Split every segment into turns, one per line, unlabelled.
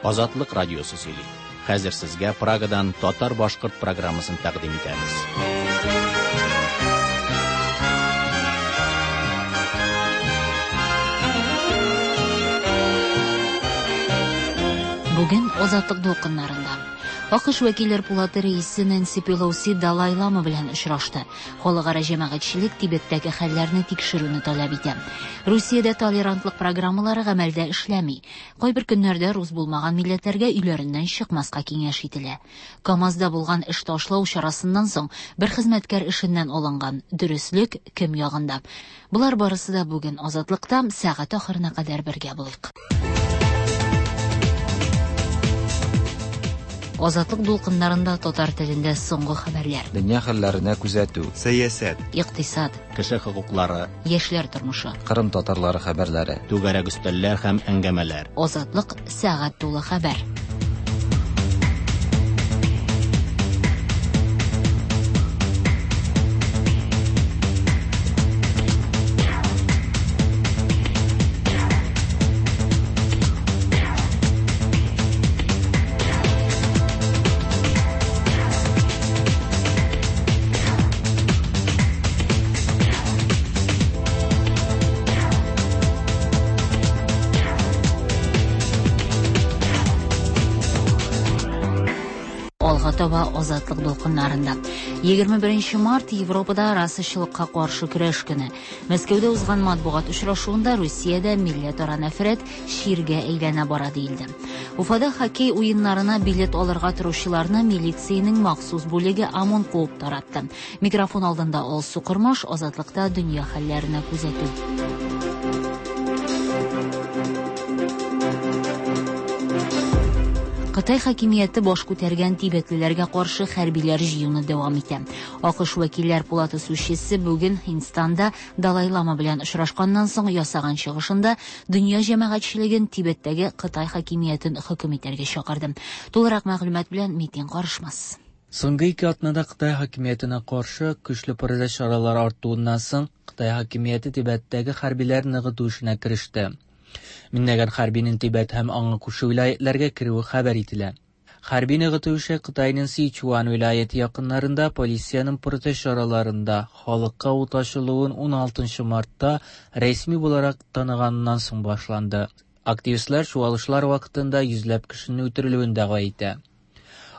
Азатлык радиосы сөйли. Хәзер сезгә Прагадан татар-башкорт программасын тәкъдим итәбез.
Бүген Азатлык дулкыннарында АКШ вәкилләр пулаты рәисе Нэнси Пелоси Далай Лама белән очрашты. Халыкара җәмәгатьчелек Тибеттәге хәлләрне тикшерүне таләп итә. Русиядә толерантлык программалары гамәлдә эшләми. Кайбер көннәрдә рус булмаган милләтләргә өйләреннән чыкмаска киңәш ителә. КАМАЗда булган эш ташлау чарасыннан соң бер хезмәткәр эшеннән алынган. Дөреслек кем ягында? Болар барысы да бүген Азатлыкта сәгать ахырына кадәр бергә булыйк. Азатлык дулкыннарында татар телендә соңгы хәбәрләр.
Дөнья хәлләренә күзәтү.
Сәясәт.
Икътисад.
Кеше хокуклары.
Яшьләр тормышы.
Кырым татарлары хәбәрләре.
Түгәрәк өстәлләр һәм әңгәмәләр.
Азатлык сәгать тулы хәбәр. Алга таба Азатлык дулкыннарында. 21 март Европада расачылыкка каршы көрәш көне. Мәскәүдә узган матбугат очрашуында Русиядә милләтара нәфрәт чиргә әйләнә бара диелде. Уфада хоккей уеннарына билет алырга торучыларны милициянең махсус бүлеге ОМОН куып таратты. Микрофон алдында Алсу Кормаш, Азатлыкта дөнья хәлләренә күзәтү. Кытай хакимияте баш күтәргән тибетлеләргә каршы хәрбиләр җыюны дәвам итә. АКШ вәкилләр палатасы сүзчесе бүген Һиндстанда Далай Лама белән очрашканнан соң ясаган чыгышында дөнья җәмәгатьчелеген Тибеттәге Кытай хакимиятен хөкем итәргә чакырды. Тулырак мәгълүмат белән Митин Карышмас.
Соңгы ике атнада Кытай хакимиятенә каршы көчле протест чаралары артуыннан соң Кытай хакимияте Тибеттәге хәрбиләр ныгыту эшенә кереште. Меңләгән хәрбинең Тибет һәм аңа күрше вилаyeтләргә керүе хәбәр ителә. Хәрби ныгыту эше Кытайның Сичуан вилаяте якыннарында полициянең протест чараларында халыкка ут ачылуын 16 мартта рәсми буларак таныганнан соң башланды. Активистлар чуалышлар вакытында йөзләп кешенең үтерелүен дәгъва итә.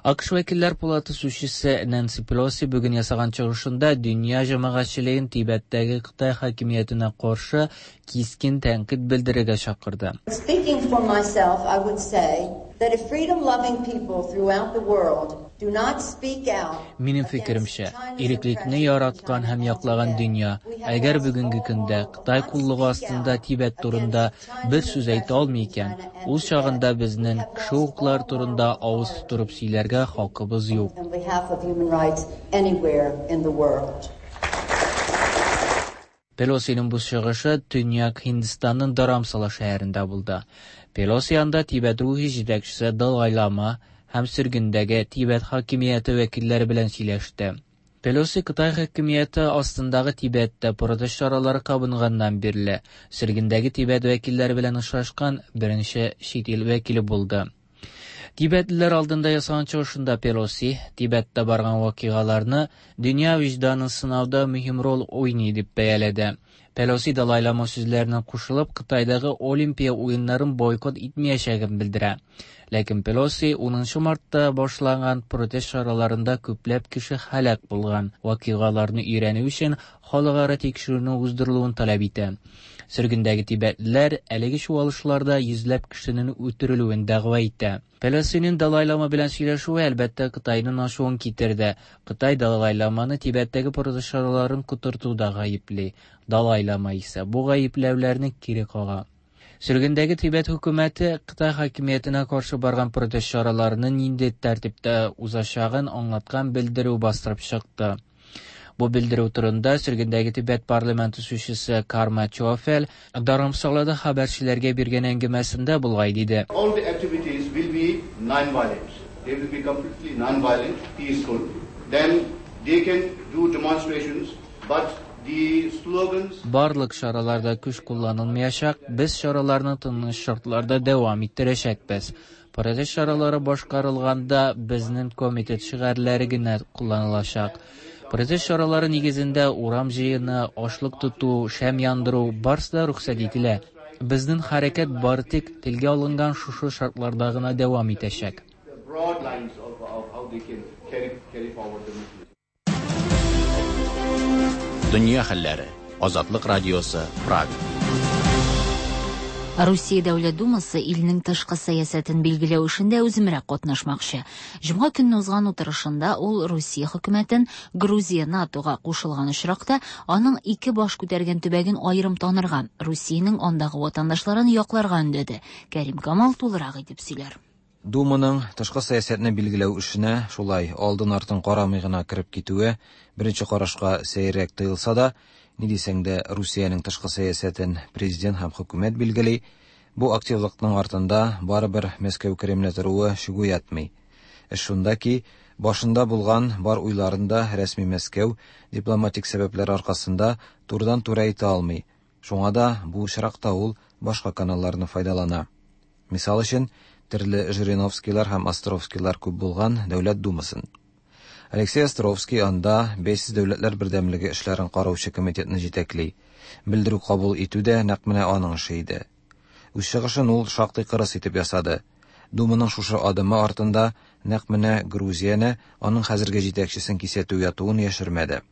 АКШ вәкилләр палаты сүзчесе Нэнси Пелоси бүген ясаган чыгышында дөнья җәмәгатьчелеген Тибеттәге Кытай хакимиятенә каршы кискен тәнкыйть белдерергә чакырды.
Speaking for myself, I would say that if freedom-loving people throughout the world do not speak out
Минем фикеремчә, иреклекне яраткан һәм яклаган дөнья, әгәр бүгенге көндә Кытай куллыгы астында Тибет турында бер сүз әйтә алмый икән, ул чагында безнең кеше хокуклары турында авыз тутырып сөйләргә хакыбыз юк.
on behalf of human rights anywhere in the world.
Пелосиның бу чыгышы Төньяк Һиндстанның Dharamsala шәһәрендә булды. Пелоси анда Тибет рухи җитәкчесе Далай Лама һәм сөргендәге Тибет хакимияте вәкилләре белән сөйләште. Пелоси Кытай хакимияте астындагы Тибеттә протест чаралары кабынганнан бирле сөргендәге Тибет вәкилләре белән очрашкан беренче чит ил вәкиле булды. Тибетлеләр алдында ясаган чыгышында Пелоси Тибеттә барган вакыйгаларны дөнья вөҗданын сынауда мөһим роль уйный дип бәяләде. Пелоси Далай Лама сүзләренә кушылып, Кытайдагы Олимпия уеннарын бойкот итмәячәген белдерә. Ләкин Пелоси 10 мартта башланган протест чараларында күпләп кеше һәлак булган вакыйгаларны өйрәнү өчен халыкара тикшерүне уздырылуын таләп итә. Сөргендәге тибетлеләр әлеге чуалышларда йөзләп кешенең үтерелүен дәгъва итә. Пелосиның Далай Лама белән сөйләшүе әлбәттә Кытайның ачуын китерде. Кытай Далай Ламаны Тибеттәге протест чараларын котыртуда гаепли. Далай Лама исә бу гаепләүләрне кире кага. Сөргендәге Тибет хөкүмәте Кытай хакимиятенә каршы барган протест чараларының нинди тәртиптә узачагын аңлаткан белдерү бастырып чыкты. Бу белдерү турында сөргендәге Тибет парламенты сүзчесе Карма Чофел Dharamsalada хәбәрчеләргә биргән әңгәмәсендә болай диде.
All the activities will be non-violent. They will be completely non-violent, peaceful. Then they can do demonstrations, but the slogans
Барлык чараларда көч кулланылмаячак, без чараларны тыныч шартларда дәвам иттерәчәкбез. Протест чаралары башкарылганда безнең комитет шигарьләре генә кулланылачак. Протест чаралары нигезендә урам җыены, ачлык тоту, шәм яндыру барысы да рөхсәт ителә. Безнең хәрәкәт бары тик телгә алынган шушы шартларда гына дәвам итәчәк.
The broad lines of how they can carry forward the movement.
Дөнья хәлләре. Азатлык радиосы, Прага.
Русия Дәүләт Думасы илнең тышкы сәясәтен билгеләү эшендә үземрәк катнашмакчы. Җомга көнне узган утырышында ул Русия хөкүмәтен Грузия НАТОга кушылган очракта аның ике баш күтәргән төбәген аерым танырга, Русиянең андагы ватандашларын якларга өндәде. Кәрим Камал тулырак итеп сөйләр.
Думаның тышкы сәясәтне билгеләү эшенә шулай алдын-артын карамый гына кереп китүе беренче карашка сәеррәк тоелса да, ни дисәң дә, Русиянең тышкы сәясәтен президент һәм хөкүмәт билгели, бу активлыкның артында барыбер Мәскәү Кремле торуы шик уятмый. Эш шунда ки, башында булган бар уйларын да рәсми Мәскәү дипломатик сәбәпләр аркасында турыдан-туры әйтә алмый. Шуңа да бу очракта ул башка каналларны файдалана. Мисал өчен, төрле Жириновскийлар һәм Островскийлар күп булган Дәүләт Думасын. Алексей Островский анда Бәйсез дәүләтләр бердәмлеге эшләрен караучы комитетны җитәкли. Белдерү кабул итү дә нәкъ менә аның эше иде. Үз чыгышын ул шактый кырыс итеп ясады. Думаның шушы адымы артында нәкъ менә Грузияне, аның хәзерге җитәкчесен кисәтү ятуын яшермәде.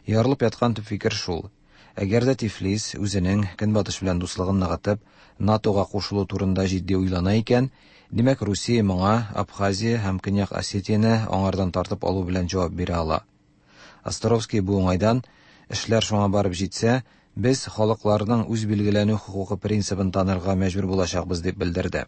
Ярылып яткан төп фикер шул: әгәр дә Тифлис үзенең Көнбатыш белән дуслыгын ныгытып, НАТОга кушылу турында җитди уйлана икән, димәк, Русия моңа Абхазия һәм Көньяк Осетияне аңардан тартып алу белән җавап бирә ала. Островский бу уңайдан, эшләр шуңа барып җитсә, без халыкларның үз билгеләнү хокукы принцибын танырга мәҗбүр булачакбыз дип белдерде.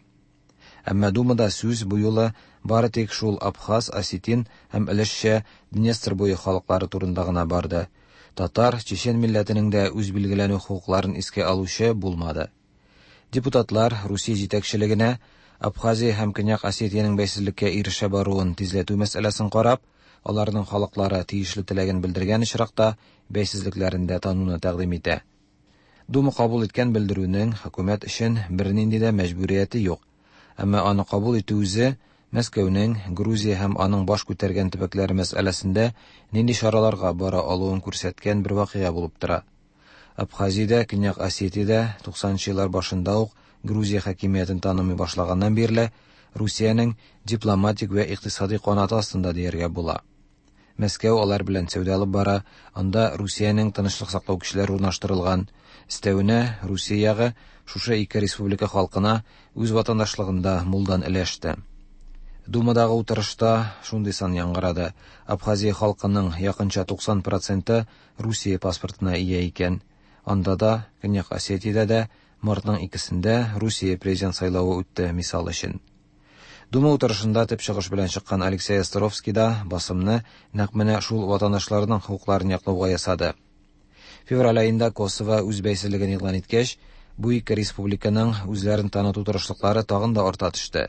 Әмма Думада сүз бу юлы бары тик шул абхаз, осетин һәм өлешчә Днестр буе халыклары турында гына барды. Татар, чечен милләтенең дә үз билгеләнү хокукларын искә алучы булмады. Депутатлар Русия җитәкчелегенә Абхазия һәм Көньяк Осетиянең бәйсезлеккә ирешә баруын тизләтү мәсьәләсен карап, аларның халыклары тиешле теләген белдергән очракта бәйсезлекләрен дә тануны тәкъдим итә. Дума кабул иткән белдерүнең хөкүмәт өчен бернинди дә мәҗбүрияте юк. Әмма аны кабул итү үзе Мәскәүнең Грузия һәм аның баш күтәргән төбәкләре мәсьәләсендә нинди чараларга бара алуын күрсәткән бер вакыйга булып тора. Абхазиядә, Көньяк Осетиядә 90 еллар башында ук Грузия хакимиятен танымый башлаганнан бирле Русиянең дипломатик вә икътисади канаты астында дияргә була. Мәскәү алар белән сәүдә алып бара, анда Русиянең тынычлык саклау көчләре урнаштырылган. Өстәвенә, Русия ягы шушы ике республика халкына үз ватандашлыгында мулдан өләште. Думадагы утырышта шундый сан яңгырады. Абхазия халкының якынча 90 проценты Русия паспортына ия икән. Анда да, Көньяк Осетиядә дә мартның икесендә Русия президент сайлавы үтте, мисал өчен. Дума утырышында төп чыгыш белән чыккан Алексей Островский да басымны нәкъ менә шул ватандашларның хокукларын яклауга ясады. Февраль аенда Косово үз бәйсезлеген игълан иткәч, бу ике республиканың үзләрен таныту тырышлыклары тагын да арта төште.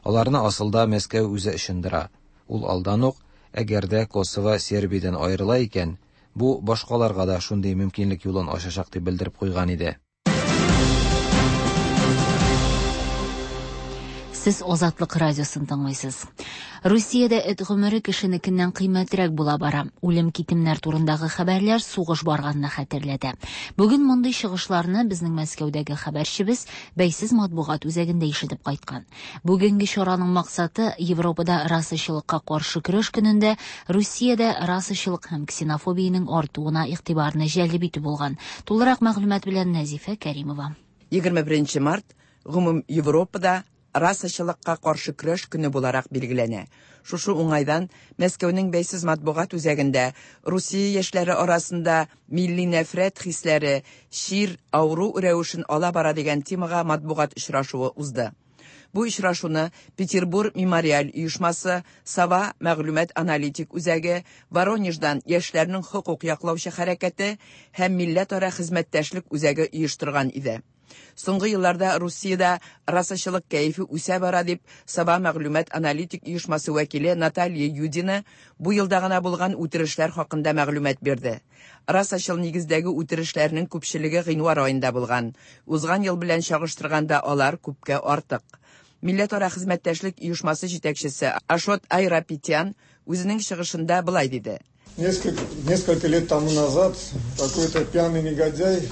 Аларны асылда Мәскәү үзе ычындыра. Ул алдан ук, әгәр дә Косово Сербиядән аерыла икән, бу башкаларга да шундый мөмкинлек юлын ачачак дип белдереп куйган иде.
Сез Азатлык радиосын тыңлыйсыз. Русиядә эт гомере кешенекеннән кыйммәтрәк була бара. Үлем-китемнәр турындагы хәбәрләр сугыш барганны хәтерләтә. Бүген мондый чыгышларны безнең Мәскәүдәге хәбәрчебез бәйсез матбугат үзәгендә ишетеп кайткан. Бүгенге чараның максаты Европада расачылыкка каршы көрәш көнендә Русиядә расачылык һәм ксенофобиянең артуына игътибарны җәлеп итү булган. Тулырак мәгълүмат белән Нәзифә Кәримова.
21 март гомум Европада расачылыкка каршы көрәш көне буларак билгеләнә. Шушы уңайдан Мәскәүнең бәйсез матбугат үзәгендә Русия яшьләре арасында милли нәфрәт хисләре чир, авыру рәвешен ала бара дигән темага матбугат очрашуы узды. Бу очрашуны Петербург мемориаль оешмасы, Сова мәгълүмат аналитик үзәге, Воронеждан яшьләрнең хокук яклаучы хәрәкәте һәм милләтара хезмәттәшлек үзәге оештырган иде. Соңгы елларда Русиядә расачылык кәефе үсә бара дип Сова мәгълүмат аналитик оешмасы вәкиле Наталья Юдина бу елда гына булган үтерешләр хакында мәгълүмат бирде. Расачыл нигездәге үтерешләрнең күпчелеге гыйнвар аенда булган. Узган ел белән чагыштырганда алар күпкә артык. Милләтара хезмәттәшлек оешмасы җитәкчесе Ашот Айрапетян үзенең чыгышында болай диде.
Несколько лет тому назад какой-то пьяный негодяй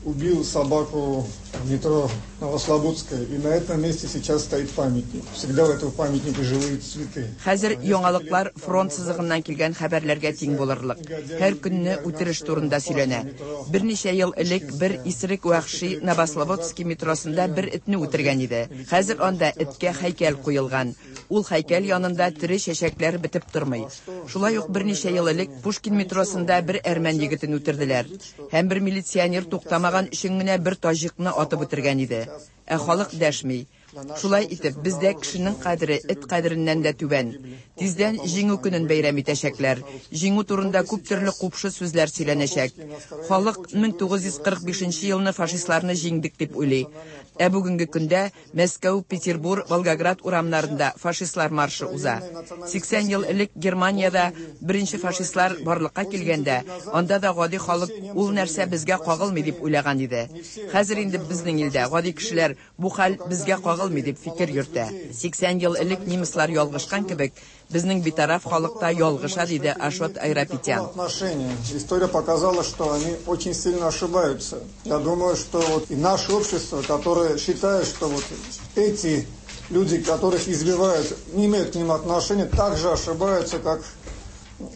убил собаку в метро Новослободская, и на этом месте сейчас стоит памятник. Всегда у этого памятника живые цветы.
Хәзер яңалыклар фронт сызыгыннан килгән хәбәрләргә тиң булырлык. Һәр көнне үтереш турында сөйләнә. Берничә ел элек бер исерек вәхши Новослободский метросында бер этне үтергән иде. Хәзер анда эткә һәйкәл куелган. Ул һәйкәл янында тере чәчәкләр бетеп тормый. Шулай ук берничә ел элек Пушкин метросында бер әрмән егетен үтерделәр. Һәм бер милиционер туктамаган өчен генә бер таҗикны атып үтергән иде. Ә халык дәшми. Шулай итеп, бездә кешенең кадере эт кадереннән дә түбән. Тиздән Җиңү көнен бәйрәм итәчәкләр. Җиңү турында күп төрле купшы сүзләр сөйләнәчәк. Халык 1945 елны фашистларны җиңдек дип уйлый. Ә бүгенге көндә Мәскәү, Петербур, Волгоград урамнарында фашистлар маршы уза. 80 ел элек Германиядә беренче фашистлар барлыкка килгәндә, анда да гади халык ул нәрсә безгә кагылмый дип уйлаган иде. Хәзер инде безнең илдә гади кешеләр бу хәл безгә кагылмый дип фикер йөртә. 80 ел элек немецлар ялгышкан кебек, безнең битараф халык та ялгыша, диде Ашот Айрапетян.
История показала, что они очень сильно ошибаются. Я думаю, что вот и наше общество, которое считает, что вот эти люди, которых избивают, не имеют к ним отношения, также ошибаются, как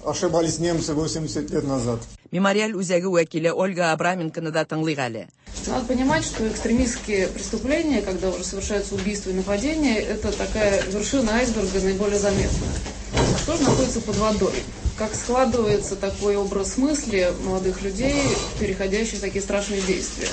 ошибались немцы 80 лет назад.
Мемориаль үзәге вәкиле Ольга Абраменконы да тыңлыйк әле.
Надо понимать, что экстремистские преступления, когда уже совершаются убийства и нападения, это такая вершина айсберга наиболее заметная. А что же находится под водой? Как складывается такой образ мысли молодых людей, переходящих в такие страшные действия?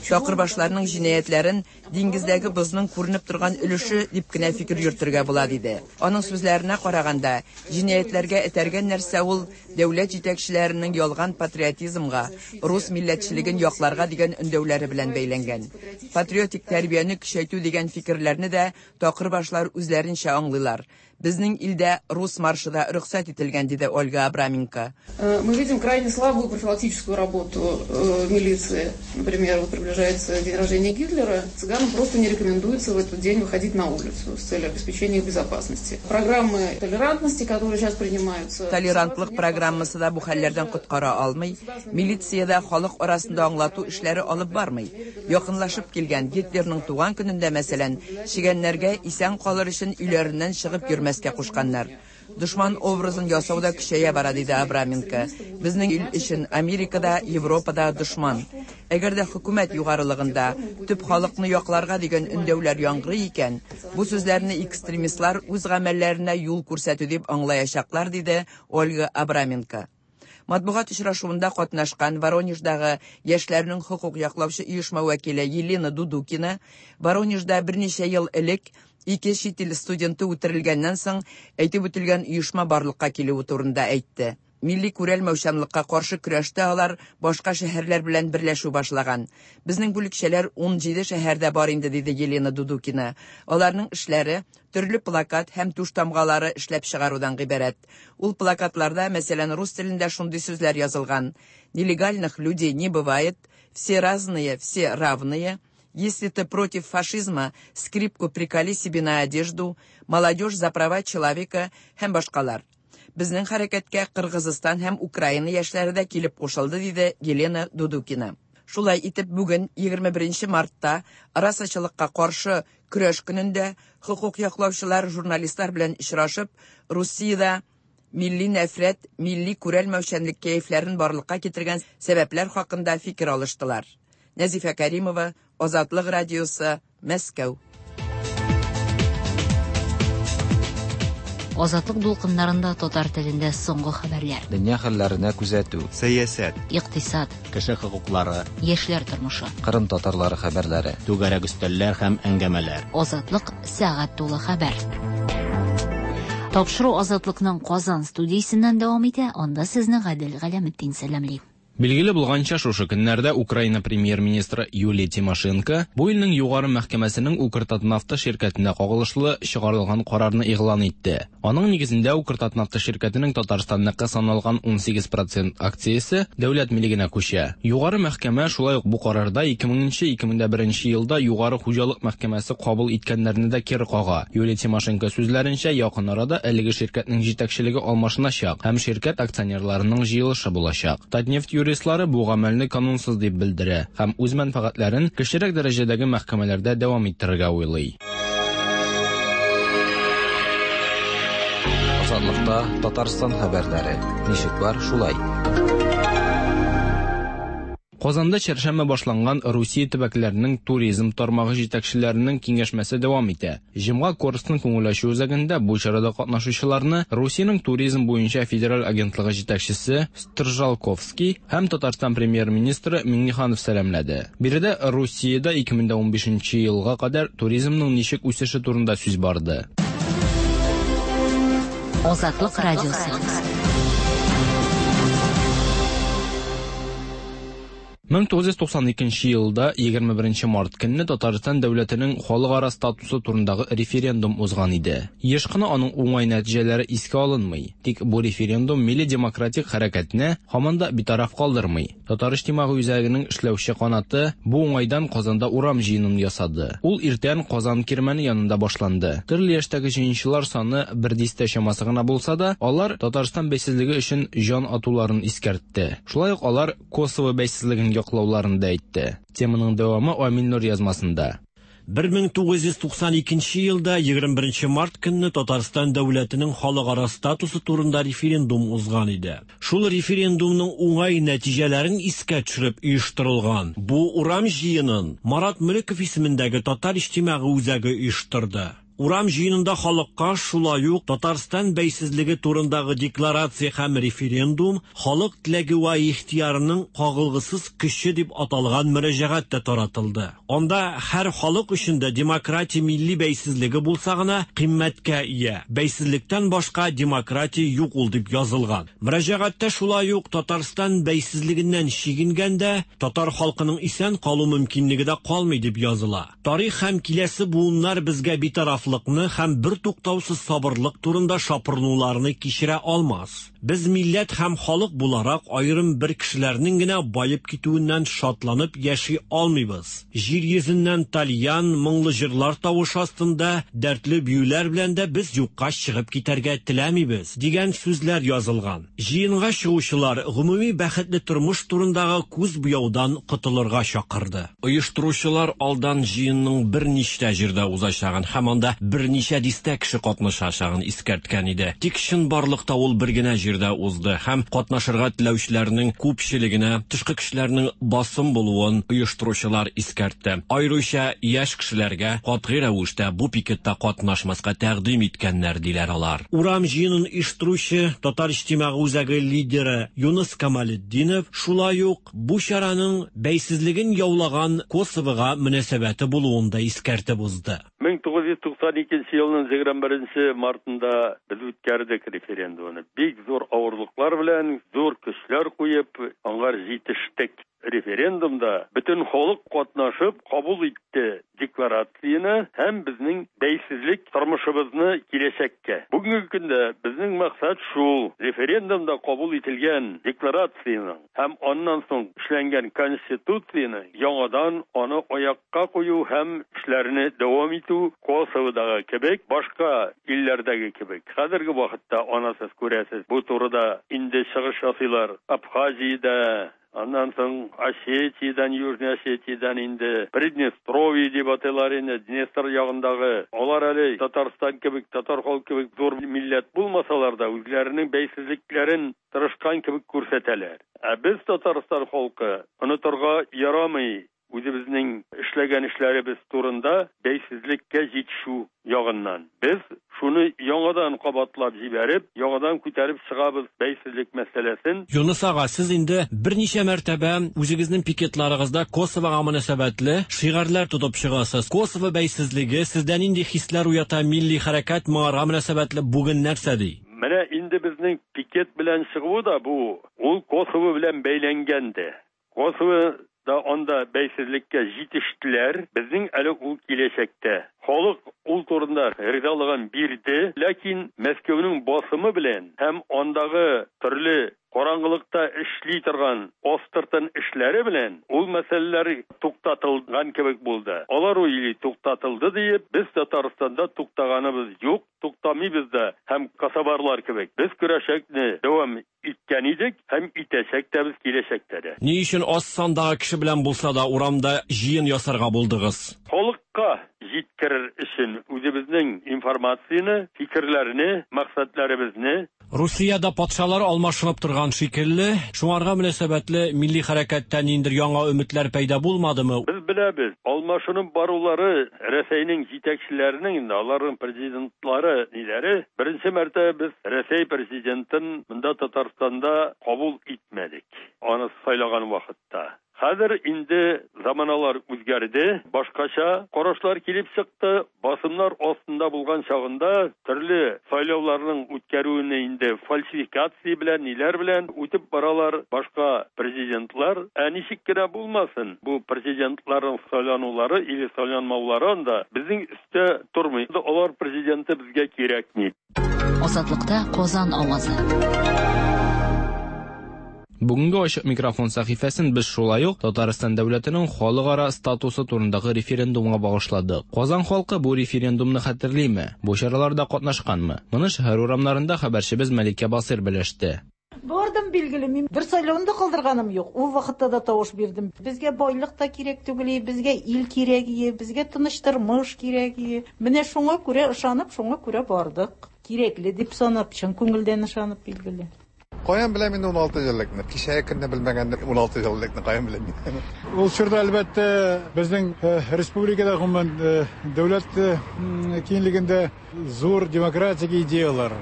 Чакырбашларның җинаятьләрен диңгездәге бозның күренеп торган өлеше дип кенә фикер йөртергә була, диде. Аның сүзләренә караганда, җинаятьләргә этәргән нәрсә ул дәүләт җитәкчеләренең ялган патриотизмга, рус милләтчелеген якларга дигән өндәүләре белән бәйләнгән. Патриотик тәрбияне көчәйтү дигән фикерләрне дә такырбашлар үзләренчә аңлыйлар. Безнең илдә рус маршы да рөхсәт ителгән, диде Ольга Абраменко.
Мы видим крайне слабую профилактическую работу милиции. Например, вот приближается день рождения Гитлера, цыганам просто не рекомендуется в этот день выходить на улицу с целью обеспечения их безопасности. Программы толерантности, которые сейчас принимаются...
Толерантлык программасы да бу хәлләрдән коткара алмый. Милиция дә халык арасында аңлату эшләре алып бармый. Якынлашып килгән Гитлерның туган көнендә, мәсәлән, чегәннәргә исән калыр өчен өйләреннән чыгып йөрмәскә кушканнар. Дошман образын ясау да көчәя бара, диде Абраменко. Безнең ил өчен Америкада, Европада дошман. Әгәр дә хөкүмәт югарылыгында төп халыкны якларга дигән өндәүләр яңгырый икән, бу сүзләрне экстремистлар үз гамәлләренә юл күрсәтү дип аңлаячаклар, диде Ольга Абраменко. Матбугат очрашуында катнашкан Воронеждагы яшьләрнең хокук яклаучы оешма вәкиле Елена Дудукина Воронежда берничә ел элек ике чит ил студенты үтерелгәннән соң әйтеп үтелгән оешма барлыкка килүе турында әйтте. Милли күрәлмәүчәнлеккә каршы көрәштә алар башка шәһәрләр белән берләшү башлаган. Безнең бүлекчәләр 17 шәһәрдә бар инде, диде Елена Дудукина. Аларның эшләре төрле плакат һәм туш тамгалары эшләп чыгарудан гыйбарәт. Ул плакатларда, мәсәлән, рус телендә шундый сүзләр язылган: Нелегальных людей не бывает, все разные, все равные. Если ты против фашизма, скрипку приколи себе на одежду, молодежь за права человека һәм башкалар. Безнең хәрәкәткә Кыргызстан һәм Украина яшьләре дә килеп кушылды, диде Елена Дудукина. Шулай итеп, бүген 21 мартта расачылыкка каршы көрәш көнендә хокук яклаучылар журналистлар белән очрашып, Русиядә милли нәфрәт, милли күрәлмәүчәнлек кәефләрен барлыкка китергән сәбәпләр хакында фикер алыштылар. Нәзифә Каримова, Азатлык радиосы, Мәскәү.
Азатлык дулкыннарында татар телендә соңгы хәбәрләр.
Дөнья хәлләренә күзәтү.
Сәясәт.
Икътисад.
Кеше хокуклары.
Яшьләр тормышы.
Кырым татарлары хәбәрләре.
Түгәрәк өстәлләр һәм әңгәмәләр.
Азатлык сәгать тулы хәбәр. Тапшыру Азатлыкның Казан студиясеннән дәвам итә. Анда сезне Гадел Галәметдин сәламли.
Билгеле булганча, шушы көннәрдә Украина премьер-министры Юлия Тимошенко бу илнең югары мәхкәмәсенең Укртатнафта ширкәтенә кагылышлы чыгарылган карарны игълан итте. Аның нигезендә Укртатнафта ширкәтенең Татарстанныкы саналган 18 процент акциясе дәүләт милегенә күчә. Югары мәхкәмә шулай ук бу карарда 2000-2001 елда Югары хуҗалык мәхкәмәсе кабул иткәннәрне дә кире кага. Юлия Тимошенко сүзләренчә, якын арада әлеге ширкәтнең җитәкчелеге алмашыначак һәм ширкәт акционерларының җыелышы булачак. Татнефть юристлары бу гамәлне канунсыз дип белдерә һәм үз мәнфәгатьләрен кечерәк дәрәҗәдәге мәхкәмәләрдә дәвам иттерергә уйлый.
Азатлыкта Татарстан хәбәрләре. Ничек бар, шулай.
Казанда чәршәмбе башланган Русия төбәкләренең туризм тармагы җитәкчеләренең киңәшмәсе дәвам итә. Җомга Корстон күңел ачу үзәгендә бу чарада катнашучыларны Русиянең туризм буенча федераль агентлыгы җитәкчесе Стржалковский һәм Татарстан премьер-министры Миңнеханов сәламләде. Биредә Русиядә 2015 елга кадәр туризмның ничек үсеше турында сүз барды.
Азатлык радиосы.
1992 елда 21 март көнне Татарстан дәүләтенең халыкара статусы турындагы референдум узган иде. Еш кына аның уңай нәтиҗәләре искә алынмый. Тик бу референдум милли демократик хәрәкәтне һаман да битараф калдырмый. Татар иҗтимагый үзәгенең эшләүче канаты бу уңайдан Казанда урам җыенын ясады. Ул иртән Казан кирмәне янында башланды. Төрле яшьтәге җыенчылар саны бер дистә чамасы гына булса да, алар Татарстан бәйсезлеге өчен җан атуларын искәртте. Шулай ук алар Косово бәйсезлеген яклауларын да әйтте. Теманың дәвамы Амил Нур язмасында.
1992 елда 21 март көнне Татарстан дәүләтенең халыкара статусы турында референдум узган иде. Шул референдумның уңай нәтиҗәләрен искә төшереп оештырылган бу урам җыенын Марат Мөлеков исемендәге Татар иҗтимагый үзәге оештырды. Урам җыенында халыкка шулай ук Татарстан бәйсезлеге турындагы декларация һәм референдум халык теләге вә ихтыярының кагылгысыз көче дип аталган мөрәҗәгать тә таратылды. Анда һәр халык өчен дә демократия милли бәйсезлеге булса гына кыйммәткә ия. Бәйсезлектән башка демократия юк ул дип язылган. Мөрәҗәгатьтә шулай ук Татарстан бәйсезлегеннән чигенгәндә татар халкының исән калу мөмкинлеге дә калмый дип языла. Тарих һәм киләсе буыннар безгә битарафлыкны һәм бертуктаусыз сабырлык турында шапырынуларны кичерә алмас. Без милләт һәм халык буларак аерым бер кешеләрнең генә баеп китүеннән шатланып яши алмыйбыз. Җир йөзеннән тальян, моңлы җырлар тавышы астында дәртле биюләр белән дә без юкка чыгып китәргә теләмибез, дигән сүзләр язылган. Җыенга чыгучылар гомуми бәхетле тормыш турындагы күз буяудан котылырга чакырды. Оештыручылар алдан җыенның берничә җирдә узачагын һәм анда берничә дистә кеше катнашачагын искәрткән иде. Тик чынбарлыкта ул бер генә җирдә узды һәм катнашырга теләүчеләрнең күпчелегенә тышкы көчләрнең басым булуын оештыручылар искәртте. Аеруча яшь кешеләргә катгый рәвештә бу пикетта катнашмаска тәкъдим иткәннәр, диләр алар. Урам җыенын оештыручы Татар иҗтимагый үзәге лидеры Юныс Камалетдинов шулай ук бу чараның бәйсезлеген яулаган Косовога мөнәсәбәте булуын да искәртеп узды.
1992 елның 21 мартында без үткәрдек референдумны. Бик зур авырлыклар белән, зур көчләр куеп, аңар җитештек. Референдумда бөтен халык катнашып кабул итте декларацияне һәм безнең бәйсезлек тормышыбызны киләчәккә. Бүгенге көндә безнең максат шул: референдумда кабул ителгән декларацияне һәм аннан соң эшләнгән конституцияне яңадан аны аякка кую һәм эшләрне дәвам итү Косоводагы кебек, башка илләрдәге кебек. Хәзерге вакытта аны сез күрәсез, бу турыда инде чыгыш ясыйлар Абхазиядә, аннан соң Осетиядән, Южный Осетиядән инде Приднестровье дип атыйлар инде, Днестр ягындагы. Алар әле Татарстан кебек, татар халкы кебек зур милләт булмасалар да, үзләренең бәйсезлекләрен тырышкан кебек күрсәтәләр. Ә без Татарстан халкы онытырга ярамый үзебезнең эшләгән эшләребез турында бәйсезлеккә җитешү ягыннан. Без шуны яңадан кабатлап җибәреп, яңадан күтәреп чыгабыз бәйсезлек мәсьәләсен.
Юныс ага, сез инде берничә мәртәбә үзегезнең пикетларыгызда Косовога мөнәсәбәтле шигарьләр тотып чыгасыз. Косово бәйсезлеге сездә нинди хисләр уята, милли хәрәкәт моңарга мөнәсәбәтле бүген нәрсә ди?
Менә инде инде безнең пикет белән чыгуы да бу, ул Косово белән бәйләнгән дә. Косово да анда бәйсезлеккә җитештеләр, безнең әле ул киләчәктә. Халык ул турында ризалыгын бирде, ләкин Мәскәүнең басымы белән һәм андагы төрле караңгылыкта эшли торган астыртын эшләре белән ул мәсьәләләр туктатылган кебек булды. Алар уйлый туктатылды диеп, без Татарстанда туктаганыбыз юк, туктамыйбыз да һәм косоварлар кебек без көрәшәкне дәвам иткән идек һәм итәчәк тә без киләчәктә дә.
Ни өчен аз сандагы кеше белән булса да урамда җыен ясарга булдыгыз?
Халыкка җиткерер өчен үзебезнең информацияне, фикерләрне, максатларыбызны.
Русиядә патшалар алмашынып торган шикелле, шуңарга мөнәсәбәтле милли хәрәкәттә ниндидер яңа өметләр пәйда булмадымы?
Без беләбез, алмашынып барулары Рәсәйнең җитәкчеләренең инде, аларның президентлары ниләре, беренче мәртәбә без Рәсәй президентын монда Татарстанда кабул итмәдек, аны сайлаган вакытта. Хәзер инде заманалар үзгәрде, башкача карашлар килеп чыкты. Басымнар астында булган чагында төрле сайлауларның үткәрүне инде фальсификация белән, ниләр белән үтеп баралар башка президентлар. Ә ничек кенә булмасын, бу президентларның сайланулары или сайланмаулары анда безнең өстә тормый. Алар президенты безгә кирәкми.
Азатлыкта Казан авазы.
Бүгенге ачык микрофон сәхифәсен без шулай ук Татарстан дәүләтенең халыкара статусы турындагы референдумга багышладык. Казан халкы бу референдумны хәтерлиме? Бу чараларда катнашканмы? Моны шәһәр урамнарында хәбәрчебез Мәликә Басыйр белеште.
Бардым, билгеле, мин бер сайлауны да калдырганым юк. Ул вакытта да тавыш бирдем. Безгә байлык та кирәк түгел, безгә ил кирәк, безгә тыныч тормыш кирәк. Менә шуңа күрә ышанып, шуңа күрә бардык. Кирәкле дип санап, чын күңелдән ышанып, билгеле.
Каян беләм инде 16 еллыкны? Кичәге көнне белмәгәнне 16 еллыкны каян беләм мин?
Ул чорда, әлбәттә, безнең республикада, гомумән, дәүләт киңлегендә зур демократик идеялар,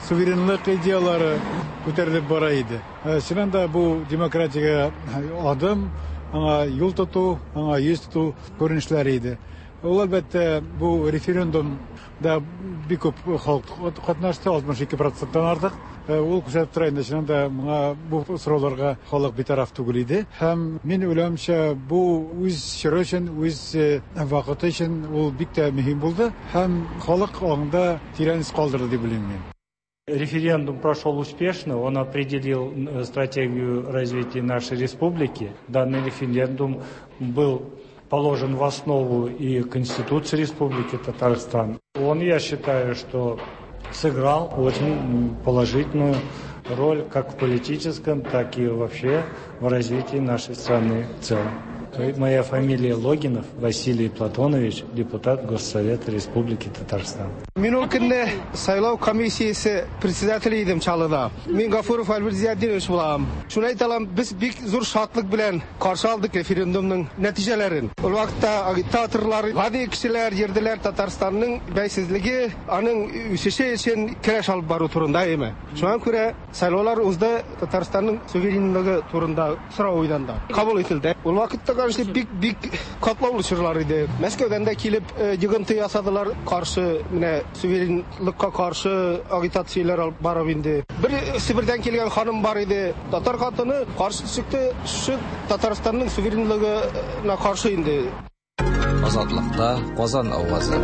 суверенлык идеялары күтәрелеп бара иде. Чыннан да бу демократиягә адым, аңа юл тоту, аңа йөз тоту күренешләре иде. Ул, әлбәттә, бу референдумда бик күп халык катнашты, 62 проценттан артык. Ул күрсәтеп тора инде, чыннан да моңа бу сорауларга халык битараф түгел иде. Һәм мин уйлавымча, бу үз чоры өчен, үз вакыты өчен ул бик тә мөһим булды һәм халык аңында тирән эз калдырды дип уйлыйм мин.
Референдум прошел успешно, он определил стратегию развития нашей республики. Данный референдум был положен в основу и Конституции Республики Татарстан. Он, я считаю, что сыграл очень положительную роль как в политическом, так и вообще в развитии нашей страны в целом. Моя фамилия Логинов Василий Платонович, депутат Госсовета Республики Татарстан.
Мин ул көнне сайлау комиссиясе председателе идем Чаллыда. Мин Гафуров Альберт Зиятдинович булам. Шуны әйтә алам, без бик зур шатлык белән каршы алдык референдумның нәтиҗәләрен. Ул вакытта агитаторлар, гади кешеләр йөрделәр Татарстанның бәйсезлеге, аның үсеше өчен көрәш алып бару турында, әйеме? Шуңа күрә сайлаулар узды, Татарстанның суверенлыгы турында сорау уйданды. Кабул ителде. Ул вакытта, конечно, бик-бик катлаулы чорлар иде. Мәскәүдән дә килеп йогынты ясадылар, каршы, менә суверенлыкка каршы агитацияләр алып барып инде. Бер Себердән килгән ханым бар иде, татар хатыны каршы чыкты, шушы Татарстанның суверенлыгына каршы инде.
Азатлыкта Казан авазы.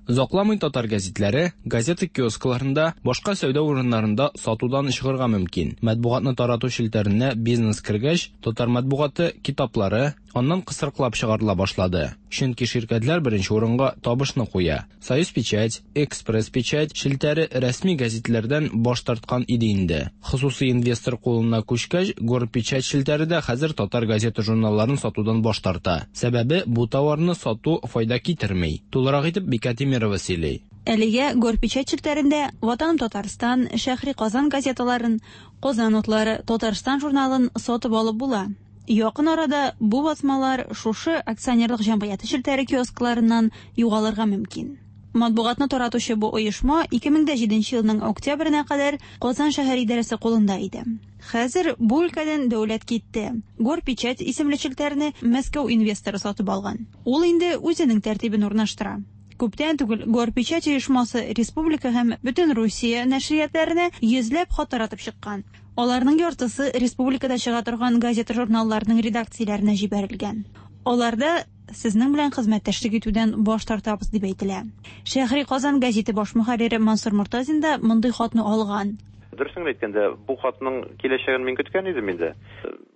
Озакламый татар гәзитләре газета киоскларында, башка сәүдә урыннарында сатудан чыгарга мөмкин. Матбугатны тарату челтәренә бизнес кергәч, татар матбугаты китаплары аннан кысрыклап чыгарыла башлады. Чөнки ширкәтләр беренче урынга табышны куя. Союз печать, Экспресс печать челтәре рәсми гәзитләрдән баш тарткан иде инде. Хосусый инвестор кулына күчкәч, Горпечать челтәре дә хәзер татар газета журналларын сатудан баш тарта. Сәбәбе бу товарны сату файда китерми. Тулырак итеп Бикә Тимирова сөйли.
Әлегә Горпечать челтәрендә Ватаным Татарстан, Шәһри Казан газеталарын, Казан утлары, Татарстан журналын сатып алып була. Якын арада бу басмалар шушы акционерлык җәмгыяте челтәре киоскларыннан югалырга мөмкин. Матбугатны таратучы бу оешма 2007 елның октябренә кадәр Казан шәһәр идарәсе кулында иде. Хәзер бу өлкәдән дәүләт китте. Горпечать исемле челтәрне Мәскәү инвесторы сатып алган. Ул инде үзенең тәртибен урнаштыра. Күптән түгел Горпечать оешмасы республика һәм бөтен Русия нәшриятләренә йөзләп хат таратып чыккан. Аларның яртысы республикада чыга торган газета-журналларның редакцияләренә җибәрелгән. Аларда сезнең белән хезмәттәшлек итүдән баш тартабыз дип әйтелә. Шәһри Казан гәзите баш мөхәррире Мансур Мортазин да мондый хатны алган.
Дөресен генә әйткәндә, бу хатның киләчәген мин көткән идем инде.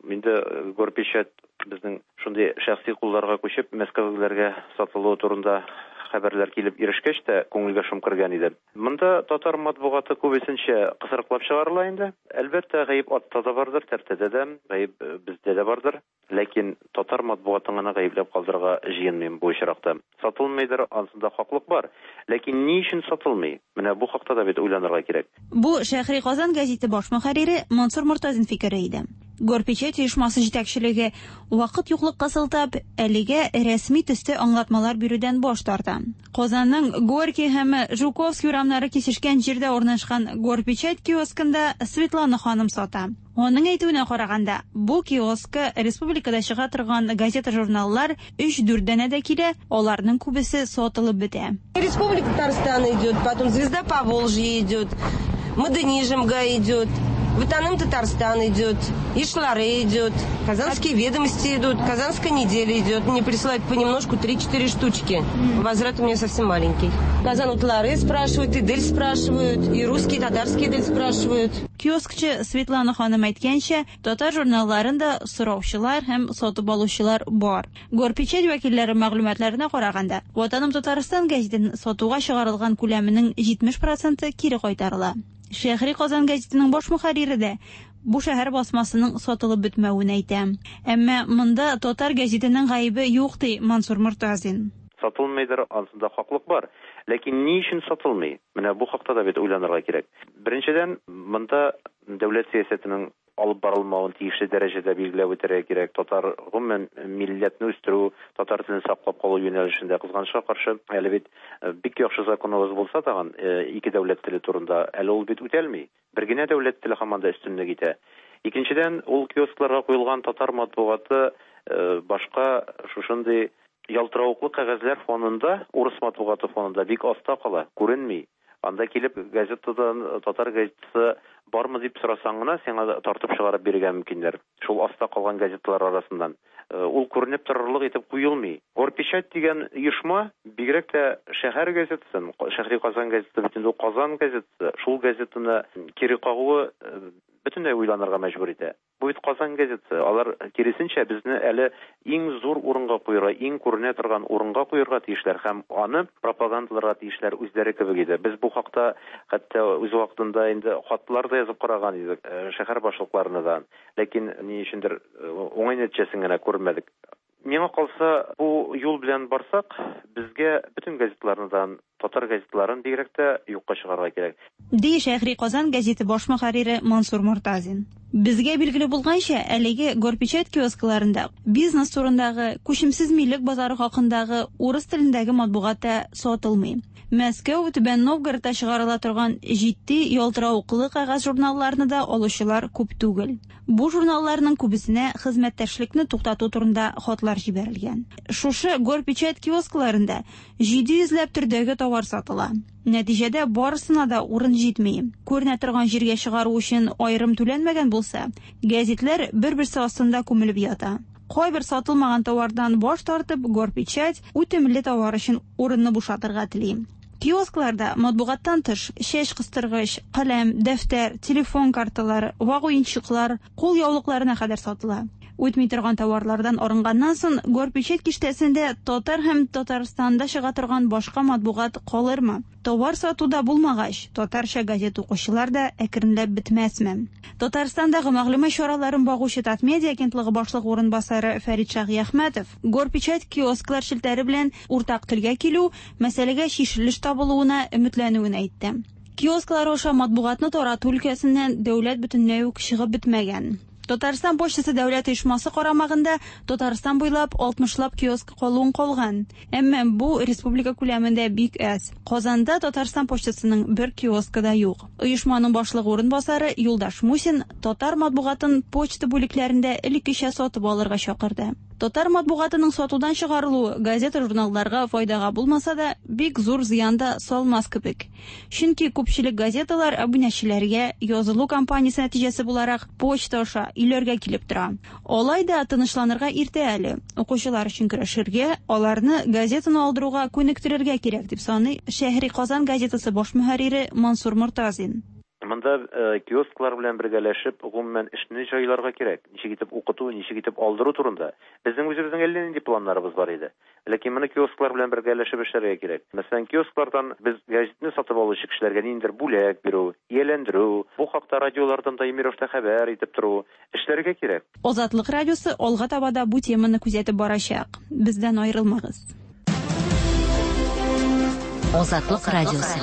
Инде Горпечать безнең шундый шәхси кулларга күчеп, мәскәүлеләргә сатылуы турында хәбәрләр килеп ирешкәч тә, күңелгә шом кергән иде. Монда татар матбугаты күбесенчә кысрыклап чыгарыла инде. Әлбәттә, гаеп атта да бардыр, тәртәдә дә, гаеп бездә дә бардыр. Ләкин татар матбугатын гына гаепләп калдырырга җыенмыйм бу очракта. Сатылмыйдыр, ансында хаклык бар. Ләкин ни өчен сатылмый? Менә бу хакта да бит уйланырга кирәк.
Бу Шәһри Казан гәзите баш мөхәррире Мансур Мортазин фикере иде. Горпечать оешмасы җитәкчелеге, вакыт юклыкка сылтап, әлегә рәсми төстә аңлатмалар бирүдән баш тарта. Казанның Горький һәм Жуковский урамнары кисешкән җирдә урнашкан Горпечать киоскында Светлана ханым сата. Аның әйтүенә караганда, бу киоскка республикада чыга торган газета-журналлар өч-дүрт данәдә килә, аларның күбесе сатылып бетә.
Республика Татарстан идет, потом Звезда Поволжья идет, Модернизмга идет, Ватаным Татарстан идет, Ишлары идет, Казанские ведомости идут, Казанская неделя идет. Мне присылают понемножку 3-4 штучки. Возврат у меня совсем маленький. Казан Утлары спрашивают, Идель спрашивают, и русские, и татарские Идель спрашивают.
Киоскчы Светлана ханым әйткәнчә, татар журналларын да сораучылар һәм сатып алучылар бар. Горпечать вәкилләре мәгълүматларына караганда, Ватаным Татарстан гәзитен сатуга чыгарылган күләменең 70 проценты кире кайтарыла. Шәһри Казан гәзитенең баш мөхәррире дә бу шәһәр басмасының сатылып бетмәвен әйтә. Әмма монда татар гәзитенең гаебе юк, ди Мансур Мортазин.
Сатылмыйдыр, ансында хаклык бар. Ләкин ни өчен сатылмый? Менә бу хакта да бит уйланырга кирәк. Беренчедән, монда дәүләт сәясәтенең алып барылмавын тиешле дәрәҗәдә билгеләп үтәргә кирәк. Татар, гомумән, милләтне үстерү, татар телен саклап калу юнәлешендә, кызганычка каршы, әле бит бик яхшы законыбыз булса тагын, ике дәүләт теле турында, әле ул бит үтәлми. Бер генә дәүләт теле һаман да өстенлек итә. Икенчедән, ул киоскларга куелган татар матбугаты башка шушындый ялтыравыклы кәгазьләр фонында, урыс матбугаты фонында бик аста кала, күренми. Анда килеп газетадан татар газетасы бармы дип сорасаң гына, сиңа тартып чыгарып бирергә мөмкиннәр. Шул аста калган газеталар арасыннан. Ул күренеп торырлык итеп куелмый. Горпечать дигән оешма бигрәк тә шәһәр газетасын, Шәһри Казан газетасы бит инде ул Казан газетасы, шул газетаны кире кагуы бөтенләй уйланырга мәҗбүр итә. Бу бит Казан газетасы. Алар, киресенчә, безне әле иң зур урынга куерга, иң күренә торган урынга куерга тиешләр һәм аны пропагандаларга тиешләр үзләре кебек иде. Без бу хакта хәтта үз вакытында инде хатлар да язып караган идек шәһәр башлыкларына да. Ләкин ни өчендер уңай нәтиҗәсен генә күрмәдек. Миңа калса, бу юл белән барсак, безгә бөтен газеталарны да, татар газеталарын бигрәк тә юкка чыгарырга кирәк.
Ди Шәһри Казан гәзите баш мөхәррире Мансур Мортазин. Безгә билгеле булганча, әлеге Горпечать киоскларында бизнес турындагы, күчемсез милек базары хакындагы урыс телендәге матбугат та сатылмый. Мәскәү, Түбән Новгородта чыгарыла торган җитди, ялтыравыклы кәгазь журналларны да алучылар күп түгел. Бу журналларның күбесенә хезмәттәшлекне туктату турында хатлар җибәрелгән. Шушы Горпечать киоскларында 700 ләп төрдәге товар сатыла. Нәтиҗәдә барысына да урын җитми. Күренә торган җиргә чыгару өчен аерым түләнмәгән булса, гәзитләр бер-берсе астында күмелеп ята. Кайбер сатылмаган товардан баш тартып, Горпечать үтемле товар өчен урынны бушатырга тели. Киоскларда матбугаттан тыш чәч кыстыргыч, каләм, дәфтәр, телефон карталары, вак уенчыклар, кул яулыкларына кадәр сатыла. Үтми торган товарлардан арынганнан соң, Горпечать киштәсендә татар һәм Татарстанда чыга торган башка матбугат калырмы? Товар сатуда булмагач, татарча газет укучылар да әкренләп бетмәсме? Татарстандагы мәгълүмат чараларын багучы Татмедиа агентлыгы башлыгы урынбасары Фәрит Шаһиәхмәтов Горпечать киосклар челтәре белән уртак телгә килү, мәсьәләгә чишелеш табылуына өметләнүен әйтте. Киосклар аша матбугатны тарату өлкәсеннән дәүләт бөтенләй үк чыгып бетмәгән. Татарстан почтасы дәүләт оешмасы карамагында Татарстан буйлап 60лап киоск калуын калган. Әмма бу республика күләмендә бик әз. Казанда Татарстан почтасының бер киоскы да юк. Оешманың башлыгы урынбасары Юлдаш Мусин татар матбугатын почта бүлекләрендә элеккечә сатып алырга чакырды. Татар матбугатының сатудан чыгарылуы газета-журналларга файдага булмаса да, бик зур зыян да салмас кебек. Чөнки күпчелек газеталар абунәчеләргә язылу кампаниясе нәтиҗәсе буларак почта аша өйләргә килеп тора. Алай да тынычланырга иртә әле. Укучылар өчен көрәшергә, аларны газетаны алдыруга күнектерергә кирәк, дип саный Шәһри Казан газетасы баш мөхәррире Мансур Мортазин.
Монда киосклар белән бергәләшеп, гомумән, эшне җайларга кирәк. Ничек итеп укыту, ничек итеп алдыру турында. Безнең үзебезнең әллә нинди планнарыбыз бар иде. Ләкин моны киосклар белән бергәләшеп эшләргә кирәк. Мәсәлән, киосклардан без гәзитне сатып алучы кешеләргә ниндидер бүләк бирү, ияләндерү, бу хакта радиолардан даими рәвештә хәбәр итеп тору, эшләргә кирәк.
Азатлык радиосы алга таба да бу теманы күзәтеп барачак. Бездән аерылмагыз.
Азатлык радиосы.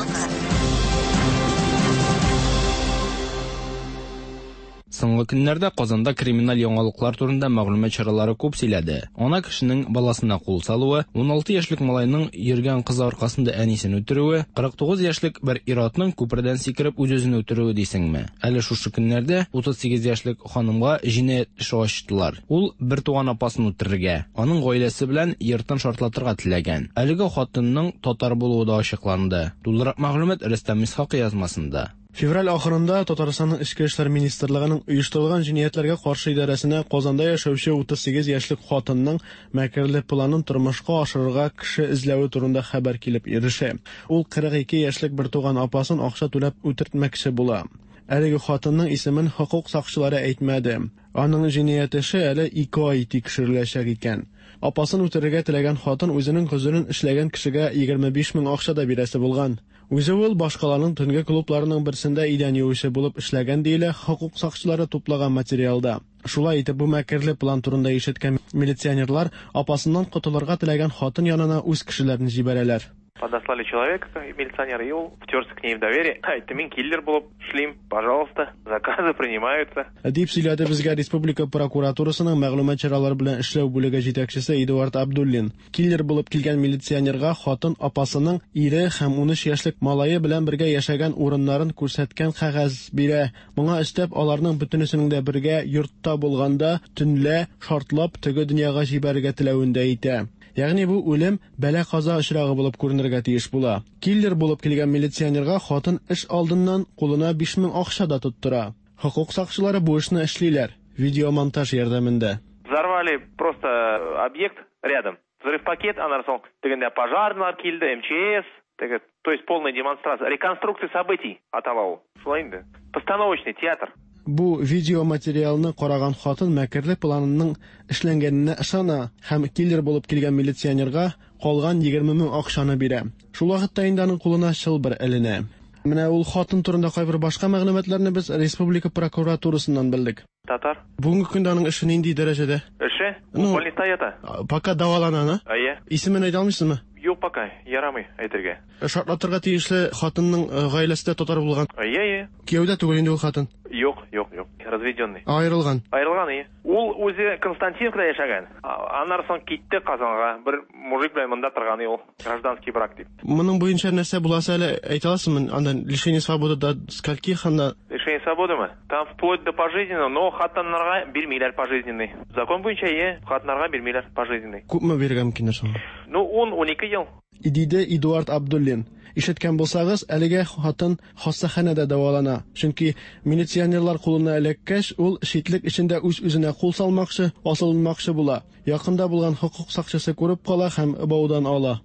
Соңгы көннәрдә Казанда криминаль яңалыклар турында мәгълүмат чаралары күп сөйләде. Ана кешенең баласына кул салуы, 16 яшьлек малайның йөргән кызы аркасында әнисен үтерүе, 49 яшьлек бер ир-атның күпердән сикереп үз-үзен үтерүе дисеңме? Әле шушы көннәрдә 38 яшьлек ханымга җинаять эше ачтылар. Ул бертуган апасын үтерергә, аның гаиләсе белән йортын шартлатырга теләгән. Әлеге хатынның татар булуы да ачыкланды. Тулырак мәгълүмат Рөстәм Исхакый язмасында.
Февраль ахырында Татарстанның Эчке эшләр министрлыгының оештырылган җинаятьләргә каршы идарәсенә Казанда яшәүче 38 яшьлек хатынның мәкерле планын тормышка ашырырга кеше эзләве турында хәбәр килеп ирешә. Ул 42 яшьлек бертуган апасын акча түләп үтертмәкче була. Әлеге хатынның исемен хокук сакчылары әйтмәде. Аның җинаять эше әле 2 ай тикшереләчәк икән. Апасын үтерергә теләгән хатын үзенең гозерен эшләгән кешегә 25 мең акча да бирәсе булган. Үзе ул башкаланың төнге клубларының берсендә идән юучы булып эшләгән диелә хокук сакчылары туплаган материалда. Шулай итеп, бу мәкерле план турында ишеткән милиционерлар апасыннан котылырга теләгән хатын янына үз кешеләрен җибәрәләр.
Подослали человека, милиционер, и ул втерся к ней в доверие. Әйтте, мин киллер булып эшлим, пожалуйста, заказы принимаются.
Дип сөйләде безгә республика прокуратурасының мәгълүмат чаралары белән эшләү бүлеге җитәкчесе Эдуард Абдуллин. Киллер булып килгән милиционерга хатын апасының ире һәм 13 яшьлек малае белән бергә яшәгән урыннарын күрсәткән кәгазь бирә. Моңа өстәп, аларның бөтенесенең дә бергә йортта булганда төнлә шартлап теге дөньяга җибәрергә теләвен дә әйтә. Ягъни бу үлем бәла-каза очрагы булып күренергә тиеш була. Киллер булып килгән милиционерга хатын эш алдыннан кулына 5000 акча да тоттыра. Хокук сакчылары бу эшне эшлиләр видеомонтаж ярдәмендә.
Взорвали просто объект рядом. Взрыв пакет, аннан соң тегендә пожарныйлар килде, МЧС, теге, то есть полная демонстрация, реконструкция событий атала ул. Шулай инде. Постановочный театр.
Бу видеоматериалны караган хатын мәкерле планының эшләнгәненә ышана һәм киллер булып килгән милиционерга калган 20 мең акчаны бирә. Шул вакытта инде аның кулына чылбыр эленә. Менә ул хатын турында кайбер башка мәгълүматларны без республика прокуратурасыннан белдек.
Татар.
Бүгенге көндә аның эше нинди дәрәҗәдә?
Эше?
Ну,
Больниста ята.
Пока дәвалана, на?
Әйе.
Исемен әйтә алмыйсызмы?
Юк пока, ярамый әйтергә.
Шартлатырга тиешле хатынның гаиләсе дә татар булган.
Әйе, әйе.
Кияүдә түгел инде ул хатын.
Юк, юк, юк. Разведенный.
Аерылган.
Аерылган, әйе. Ул үзе Константиновкада яшәгән. Аннан соң китте Казанга. Бер мужик белән монда торган ул. Гражданский брак дип.
Моның буенча нәрсә буласы әле әйтә аласызмы? Анда лишение свободы до скольких анда?
Лишение свободымы? Там вплоть до пожизненного, но хатыннарга бирмиләр пожизненный. Закон буенча, әйе, хатыннарга бирмиләр пожизненный.
Күпме бирергә мөмкиннәр соң?
Ну, 10-12 ел.
Диде Эдуард Абдуллин. Ишеткән булсагыз, әлегә хатын хастаханәдә дәвалана. Чөнки милиционерлар кулына эләккәч, ул читлек эчендә үз-үзенә кул салмакчы, асылынмакчы була. Якында булган хокук сакчысы күреп кала һәм баудан ала.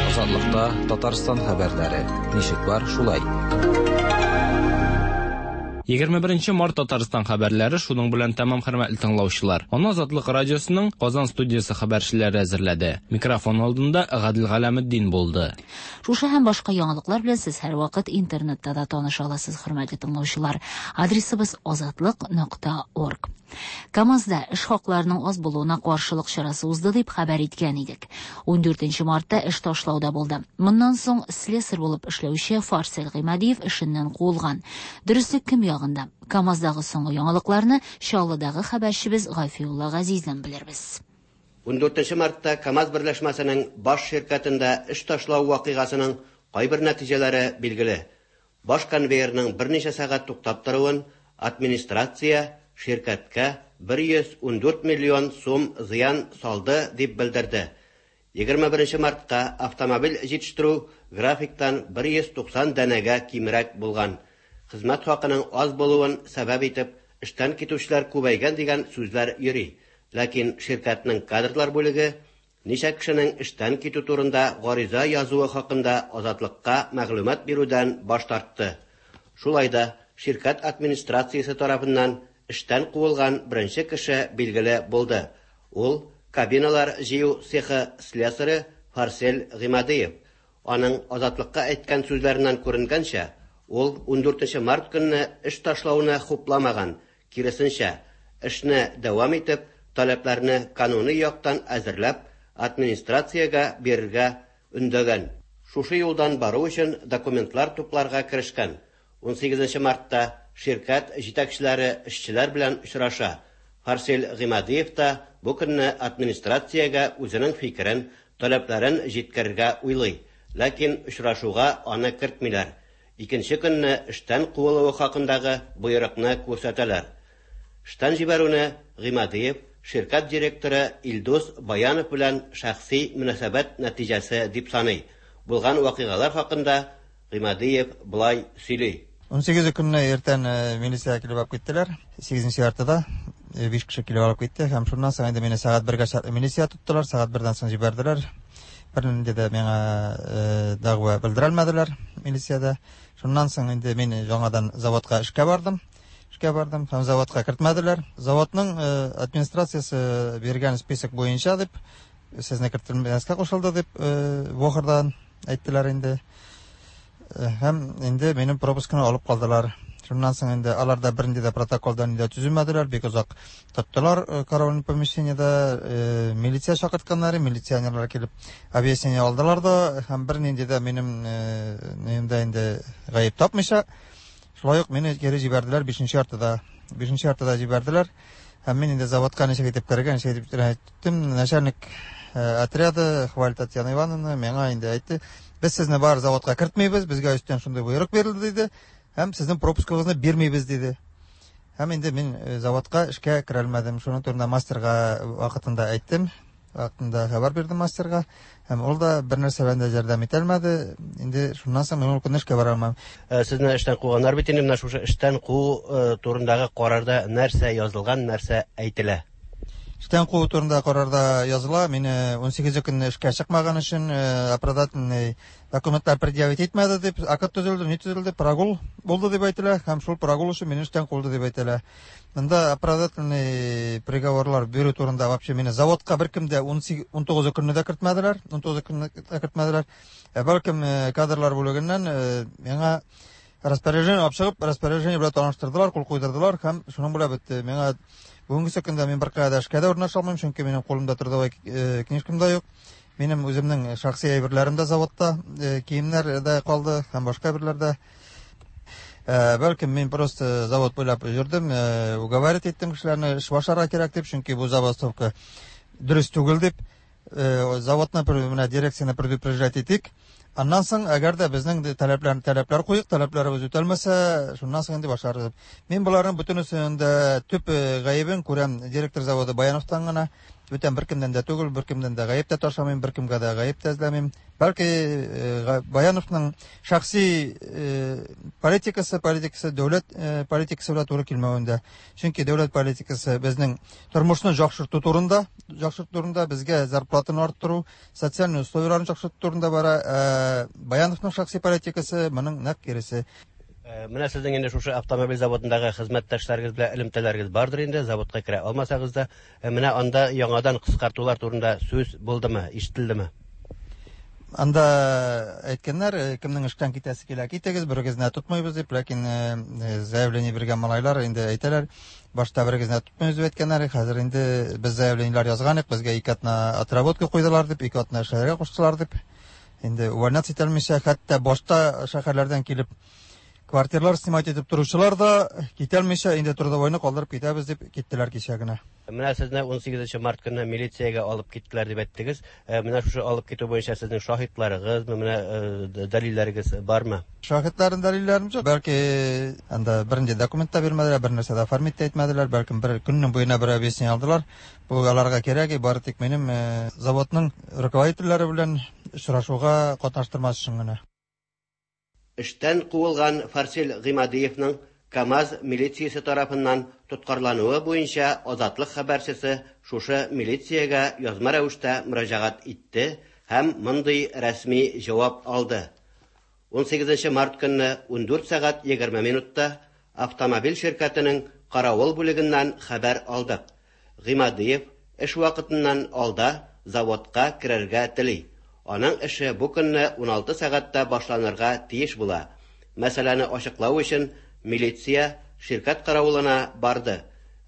Азатлыкта Татарстан хәбәрләре. Ничек бар, шулай.
21 март Татарстан хәбәрләре шуның белән тәмам, хөрмәтле тыңлаучылар. Аны Азатлык радиосының Казан студиясе хәбәрчеләре әзерләде. Микрофон алдында Гадел Галәметдин булды.
Шушы һәм башка яңалыклар белән сез һәрвакыт интернетта да таныша аласыз, хөрмәтле тыңлаучылар. Адресыбыз azatliq.org. КАМАЗда эш хакларының аз булуына каршылык чарасы узды дип хәбәр иткән идек. 14 мартта эш ташлауда булды. Моннан соң слесарь булып эшләүче Фарсел Гыймадиев эшеннән куылган. Дөреслек кем ягында? КАМАЗдагы соңгы яңалыкларны Чаллыдагы хәбәрчебез Гафиулла Газиздән белербез.
14 мартта КАМАЗ берләшмәсенең баш ширкәтендә эш ташлау вакыйгасының кайбер нәтиҗәләре билгеле. Баш конвейерның берничә сәгать туктап торуын администрация ширкәткә 114 миллион сум зыян салды дип белдерде. 21 мартка автомобиль җитештерү графиктан 190 данәгә кимрәк булган. Хезмәт хакының аз булуын сәбәп итеп, эштән китүчеләр күбәйгән дигән сүзләр йөри. Ләкин ширкәтнең кадрлар бүлеге ничә кешенең эштән китү турында гариза язуы хакында Азатлыкка мәгълүмат бирүдән баш тартты. Шулай да ширкәт администрациясе тарафыннан эштән куылган беренче кеше билгеле булды. Ул кабиналар җыю цехы слесаре Фарсель Гыймадиев. Аның Азатлыкка әйткән сүзләреннән күренгәнчә, ул 14 март көнне эш ташлауны хупламаган, киресенчә, эшне дәвам итеп, таләпләрне кануни яктан әзерләп, администрациягә бирергә өндәгән. Шушы юлдан бару өчен документлар тупларга керешкән. 18 мартта ширкәт җитәкчеләре эшчеләр белән очраша. Фарсель Гыймадиев та бу көнне администрациягә үзенең фикерен, таләпләрен җиткерергә уйлый. Ләкин очрашуга аны кертмиләр. Икенче көнне эштән куылуы хакындагы боерыкны күрсәтәләр. Эштән җибәрүне Гыймадиев ширкәт директоры Илдус Баянов белән шәхси мөнәсәбәт нәтиҗәсе дип саный. Булган вакыйгалар хакында Гыймадиев болай сөйли.
18 көнне иртән милиция килеп алып киттеләр. 8 яртыда 5 кеше килеп алып китте һәм шуннан соң инде мине сәгать 1гә чаклы милиция тоттылар, сәгать 1дән соң җибәрделәр. Бернинди дә миңа дәгъва белдерелмәделәр милициядә. Шуннан соң инде мин яңадан заводка эшкә бардым. Эшкә бардым һәм заводка кертмәделәр. Заводның администрациясе биргән список буенча дип, сезне кертелмәскә кушылды дип, ВОХРдан әйттеләр инде. Һәм инде минем пропускны алып калдылар. Шуннан соң инде алар да бернинди дә протоколдан инде төземәделәр, бик озак тоттылар караульный помещениедә, милиция чакыртканнар, милиционерлар килеп объяснение алдылар да, һәм бернинди дә минем нимдә инде гаеп тапмыйча, шулай ук мине кире җибәрделәр 5 яртыда. 5 яртыда җибәрделәр. Һәм мин инде заводка ничек итеп керергә, ничек итеп әйттем, начальник отряда Хваль Татьяна Ивановна миңа инде әйтте, без сезне бар заводка кертмибез, безгә өстән шундый боерык бирелде диде, һәм сезнең пропускыгызны бирмибез диде. Һәм инде мин заводка эшкә керә алмадым. Шуның турында мастерга вакытында әйттем, вакытында хәбәр бирдем мастерга, һәм ул да бер нәрсә белән дә ярдәм итә алмады. Инде шуннан соң мин ул көнне эшкә бара алмам.
Сезне эштән куганнар бит инде, менә шушы эштән куу турындагы карарда нәрсә язылган, нәрсә әйтелә?
Эштән куу турында карарда языла, мине 18 көнне эшкә чыкмаган өчен оправдательный документлар предъявить итмәде дип, акт төзелде, ни төзелде, прогул булды дип әйтелә, һәм шул прогул өчен мине эштән куылды дип әйтелә. Монда оправдательный приговорлар бирү турында вообще мине заводка беркем дә 19 көнне дә кертмәделәр, 19 көнне дә кертмәделәр. Ә бәлкем кадрлар бүлегеннән миңа распоряжение алып чыгып, распоряжение белән таныштырдылар, кул куйдырдылар һәм шуның белән бетте. Миңа бүгенге көндә мин беркая да эшкә дә урнаша алмыйм, чөнки минем кулымда трудовой книжкам да юк. Минем үземнең шәхси әйберләрем дә заводта, киемнәр дә калды һәм башка әйберләр дә. Бәлкем мин просто завод буйлап йөрдем, уговаривать иттем кешеләрне эш башларга кирәк дип, чөнки бу забастовка дөрес түгел дип. Заводны менә дирекцияне предупреждать итик. Аннан соң, әгәр дә безнең таләпләр куйык, таләпләребез үтәлмәсә, шуннан соң инде башларбыз. Мин боларның бөтенесен дә төп гаебен күрәм директор заводы Баяновтан гына. Бүтән беркемнән дә түгел, беркемнән дә гаеп тә ташламыйм, беркемгә дә гаеп тә эзләмим. Бәлки Баяновның шәхси политикасы, политикасы дәүләт политикасы белән туры килмәвендә. Чөнки дәүләт политикасы безнең тормышны яхшырту турында, яхшырту турында, безгә зарплатаны арттыру, социаль условияләрне яхшырту турында бара. Баяновның шәхси политикасы моның нәкъ киресе.
Менә сезнең инде шушы автомобиль заводындагы хезмәттәшләрегез белән элемтәләрегез бардыр инде, заводка керә алмасагыз да. Менә анда яңадан кыскартулар турында сүз булдымы, ишетелдеме?
Анда әйткәннәр, кемнең эштән китәсе килә, китегез, берегезне тотмыйбыз дип, ләкин заявление биргән малайлар инде әйтәләр, башта берегезне тотмыйбыз дип әйткәннәр, хәзер инде без заявлениеләр язган идек, безгә 2 атна отработка куйдылар дип, 2 атна эшләргә куштылар дип. Инде увольняться итә алмыйча, хәтта башта шәһәрләрдән килеп Квартиралар снимать итеп торучылар да китәлмичә, инде трудовойны калдырып китәбез дип киттеләр кичә генә.
Менә сезне 18 март көнне милициягә алып киттеләр дип әйттегез. Менә шушы алып китү буенча сезнең шаһитларыгызмы, менә дәлилләрегез бармы?
Шаһитларын дәлилләрем юк. Бәлки анда бернинди документ та бирмәделәр, бер нәрсә дә оформить тә итмәделәр, бәлкем бер көннең буена бер объяснение алдылар. Бу аларга кирәк, бары тик минем заводның руководительләре белән очрашуга катнаштырмас өчен генә.
Эштән куылган Фарсил Гыймадиевның КАМАЗ милициясе тарафыннан тоткарлануы буенча Азатлык хәбәрчесе шушы милициягә язма рәвештә мөрәҗәгать итте һәм мондый рәсми җавап алды. 18 март көнне 14 сәгать 20 минутта автомобиль ширкәтенең каравыл бүлегеннән хәбәр алдык. Гыймадиев эш вакытыннан алда заводка керергә тели. Аның эше бу көнне 16 сәгатьтә башланырга тиеш була. Мәсьәләне ачыклау өчен милиция ширкәт каравылына барды.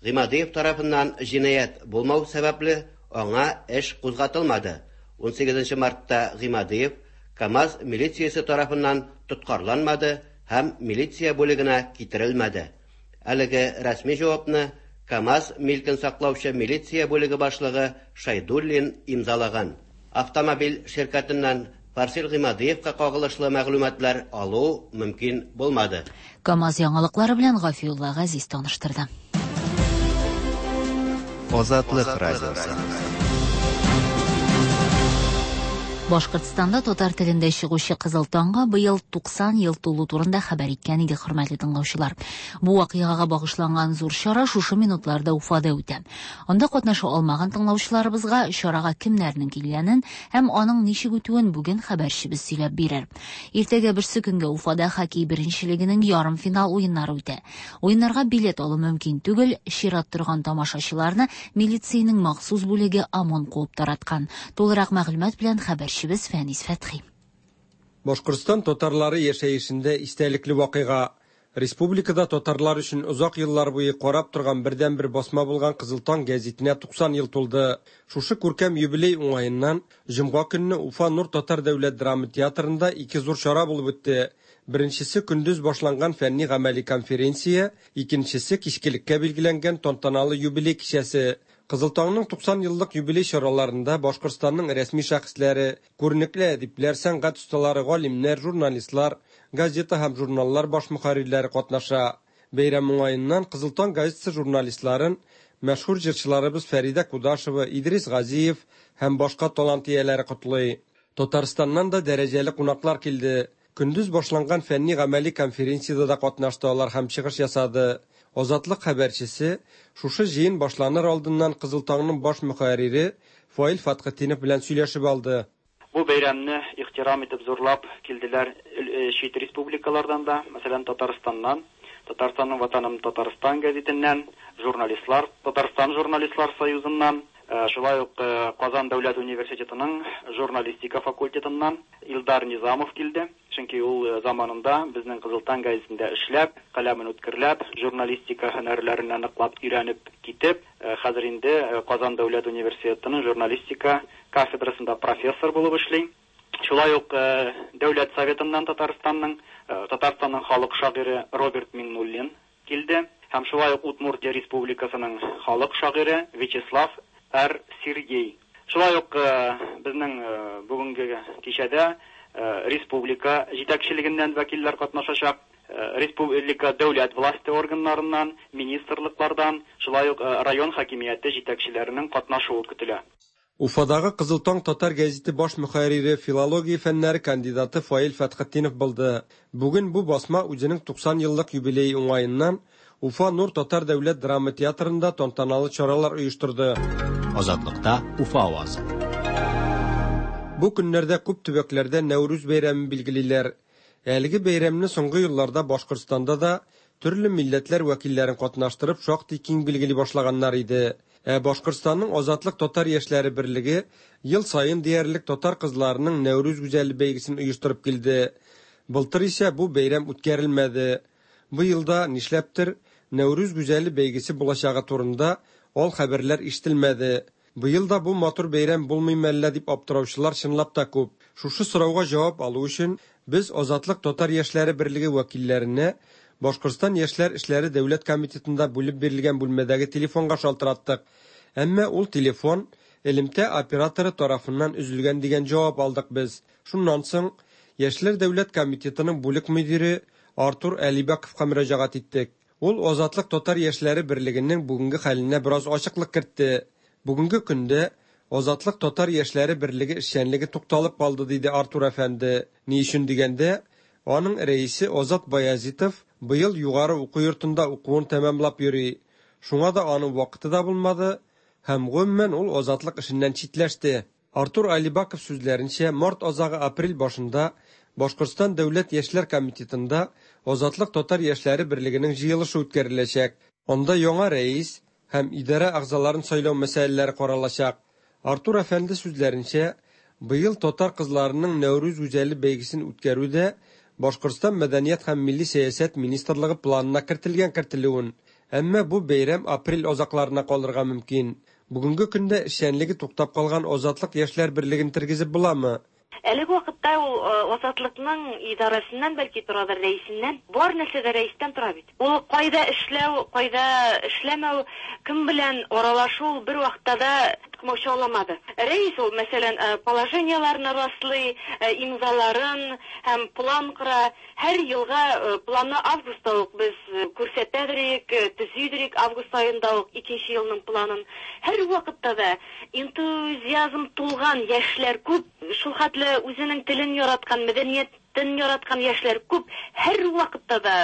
Гыймадиев тарафыннан җинаять булмау сәбәпле, аңа эш кузгатылмады. 18 мартта Гыймадиев КАМАЗ милициясе тарафыннан тоткарланмады һәм милиция бүлегенә китерелмәде. Әлеге рәсми җавапны КАМАЗ милкен саклаучы милиция бүлеге башлыгы Шайдуллин имзалаган. Автомобиль ширкәтеннән Фарсил Гыймадиевка кагылышлы мәгълүматлар алу мөмкин булмады.
КАМАЗ яңалыклары белән Гафиулла Газиз таныштырды.
Азатлык радиосы.
Башкортстанда татар телендә чыгучы Кызыл таңга быел 90 ел тулу турында хәбәр иткән иде, хөрмәтле тыңлаучылар. Бу вакыйгага багышланган зур чара шушы минутларда Уфада үтә. Анда катнаша алмаган тыңлаучыларыбызга чарага кемнәрнең килгәнен һәм аның ничек үтүен бүген хәбәрчебез сөйләп бирер. Иртәгә берсе көнгә Уфада хоккей беренчелегенең ярымфинал уеннары үтә. Уеннарга билет алу мөмкин түгел, чират торган тамашачыларны милициянең махсус бүлеге ОМОН куып тараткан. Тулырак мәгълүмат белән хәбәрчебез Фәнис Фәтхи.
Башкортстан татарлары яшәешендә истәлекле вакыйга. Республикада татарлар өчен озак еллар буе карап торган бердәнбер басма булган Кызыл таң гәзитенә 90 ел тулды. Шушы күркәм юбилей уңаеннан җомга көнне Уфа Нур татар дәүләт драма театрында ике зур чара булып үтте. Беренчесе көндез башланган фәнни гамәли конференция, икенчесе кичкелеккә билгеләнгән тантаналы юбилей кичәсе. Кызыл таңның 90 еллык юбилей чараларында Башкортстанның рәсми шәхесләре, күренекле әдипләр, сәнгать осталары, галимнәр, журналистлар, газета һәм журналлар баш мөхәррирләре катнаша. Бәйрәм уңаеннан Кызыл таң газетасы журналистларын мәшһүр җырчыларыбыз Фәридә Кудашева, Идрис Газиев һәм башка талант ияләре котлый. Татарстаннан да дәрәҗәле кунаклар килде. Көндез башланган фәнни гамәли конференциядә дә катнашты алар һәм чыгыш ясады. Азатлык хәбәрчесе шушы җыен башланыр алдыннан Кызыл таңның баш мөхәррире Фаил Фәтхетдинов белән сөйләшеп алды.
Бу бәйрәмне ихтирам итеп зурлап килделәр чит республикалардан да, мәсәлән, Татарстаннан, Татарстанның Ватаным Татарстан гәзитеннән, журналистлар, Татарстан журналистлар союзыннан, шулай ук Казан дәүләт университетының журналистика факультетыннан Илдар Низамов килде. Чөнки ул заманында безнең Кызыл таң гәзитендә эшләп, каләмен үткерләп, журналистика һөнәрләренә ныклап өйрәнеп китеп, хәзер инде Казан дәүләт университетының журналистика кафедрасында профессор булып эшли. Шулай ук Дәүләт советыннан Татарстанның, Татарстанның халык шагыйре Роберт Миңнуллин килде һәм шулай ук Удмуртия Республикасының халык шагыйре Вячеслав Р. Сергей. Шулай ук безнең бүгенге кичәдә республика җитәкчелегеннән вәкилләр катнашачак, республика дәүләт власте органнарыннан, министрлыклардан, шулай ук район хакимияте җитәкчеләренең катнашуы көтелә.
Уфадагы Кызыл таң татар гәзите баш мөхәррире, филология фәннәре кандидаты Фаил Фәтхетдинов булды. Бүген бу басма үзенең 90 еллык юбилее уңаеннан Уфа Нур татар дәүләт драма театрында тантаналы чаралар оештырды.
Азатлыкта Уфа авазы.
Бу көннәрдә күп төбәкләрдә Нәүрүз бәйрәмен билгелиләр. Әлеге бәйрәмне соңгы елларда Башкортстанда да төрле милләтләр вәкилләрен катнаштырып шактый киң билгели башлаганнар иде. Ә Башкортстанның Азатлык татар яшьләре берлеге ел саен диярлек татар кызларының Нәүрүз гүзәле бәйгесен оештырып килде. Былтыр исә бу бәйрәм үткәрелмәде. Бу елда нишләптер Нәүрүз гүзәле бәйгесе булачагы турында ал хәбәрләр ишетелмәде. Быел да бу матур бәйрәм булмыймы әллә дип аптыраучылар чынлап та күп. Шушы сорауга җавап алу өчен без Азатлык татар яшьләре берлеге вәкилләренә Башкортстан яшьләр эшләре дәүләт комитетында бүлеп бирелгән бүлмәдәге телефонга шалтыраттык. Әмма ул телефон элемтә операторы тарафыннан өзелгән дигән җавап алдык без. Шуннан соң Яшьләр дәүләт комитетының бүлек мөдире Артур Әлибәковка мөрәҗәгать иттек. Ул Азатлык татар яшьләре берлегенең бүгенге хәленә бераз ачыклык кертте. Бүгенге көндә Азатлык татар яшьләре берлеге эшчәнлеге тукталып калды, диде Артур әфәнде. Ни өчен дигәндә, аның рәисе Азат Баязитов быел югары уку йортында укуын тәмамлап йөри. Шуңа да аның вакыты да булмады һәм гомумән ул Азатлык эшеннән читләште. Артур Алибаков сүзләренчә, март азагы-апрель башында Башкортстан дәүләт яшьләр комитетында Азатлык татар яшьләре берлегенең җыелышы үткәреләчәк. Анда яңа рәис һәм идарә әгъзаларын сайлау мәсьәләләре каралачак. Артур әфәнде сүзләренчә, быел татар кызларының Нәүрүз гүзәле бәйгесен үткәрү дә Башкортстан мәдәният һәм милли сәясәт министрлыгы планына кертелгән кертелүен, әмма бу бәйрәм апрель азакларына калырга мөмкин. Бүгенге көндә эшчәнлеге туктап калган Азатлык яшьләр берлеген тергезеп буламы?
Әлеге вакытта ул Азатлыкның идарәсеннән бәлки торадыр, рәисеннән. Бар нәрсә дә рәистән тора бит. Ул кайда эшләү, кайда эшләмәү, кем белән аралашу ул бер вакытта да комачауламады. Рәис ул, мәсәлән, положениеләрне раслый, имзаларын һәм план кора. Һәр елга планны августта ук без күрсәтәдерик, төзидерик август аенда ук икенче елның планын. Һәр вакытта да энтузиазм тулган яшьләр күп, шул хәтле үзенең телен яраткан, мәдәниятен яраткан яшьләр күп. Һәр вакытта да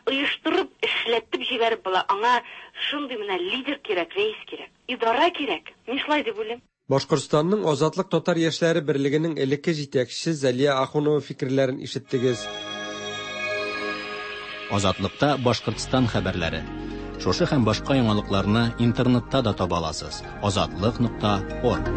оештырып, эшләтеп җибәреп була. Аңа шундый менә лидер кирәк, рәис кирәк, идарә кирәк. Мин шулай дип уйлыйм.
Башкортстанның Азатлык татар яшьләре берлегенең элекке җитәкчесе Зәлия Ахунова фикерләрен ишеттегез.
Азатлыкта Башкортстан хәбәрләре. Шушы һәм башка яңалыкларны интернетта да таба аласыз. Азатлык.орг.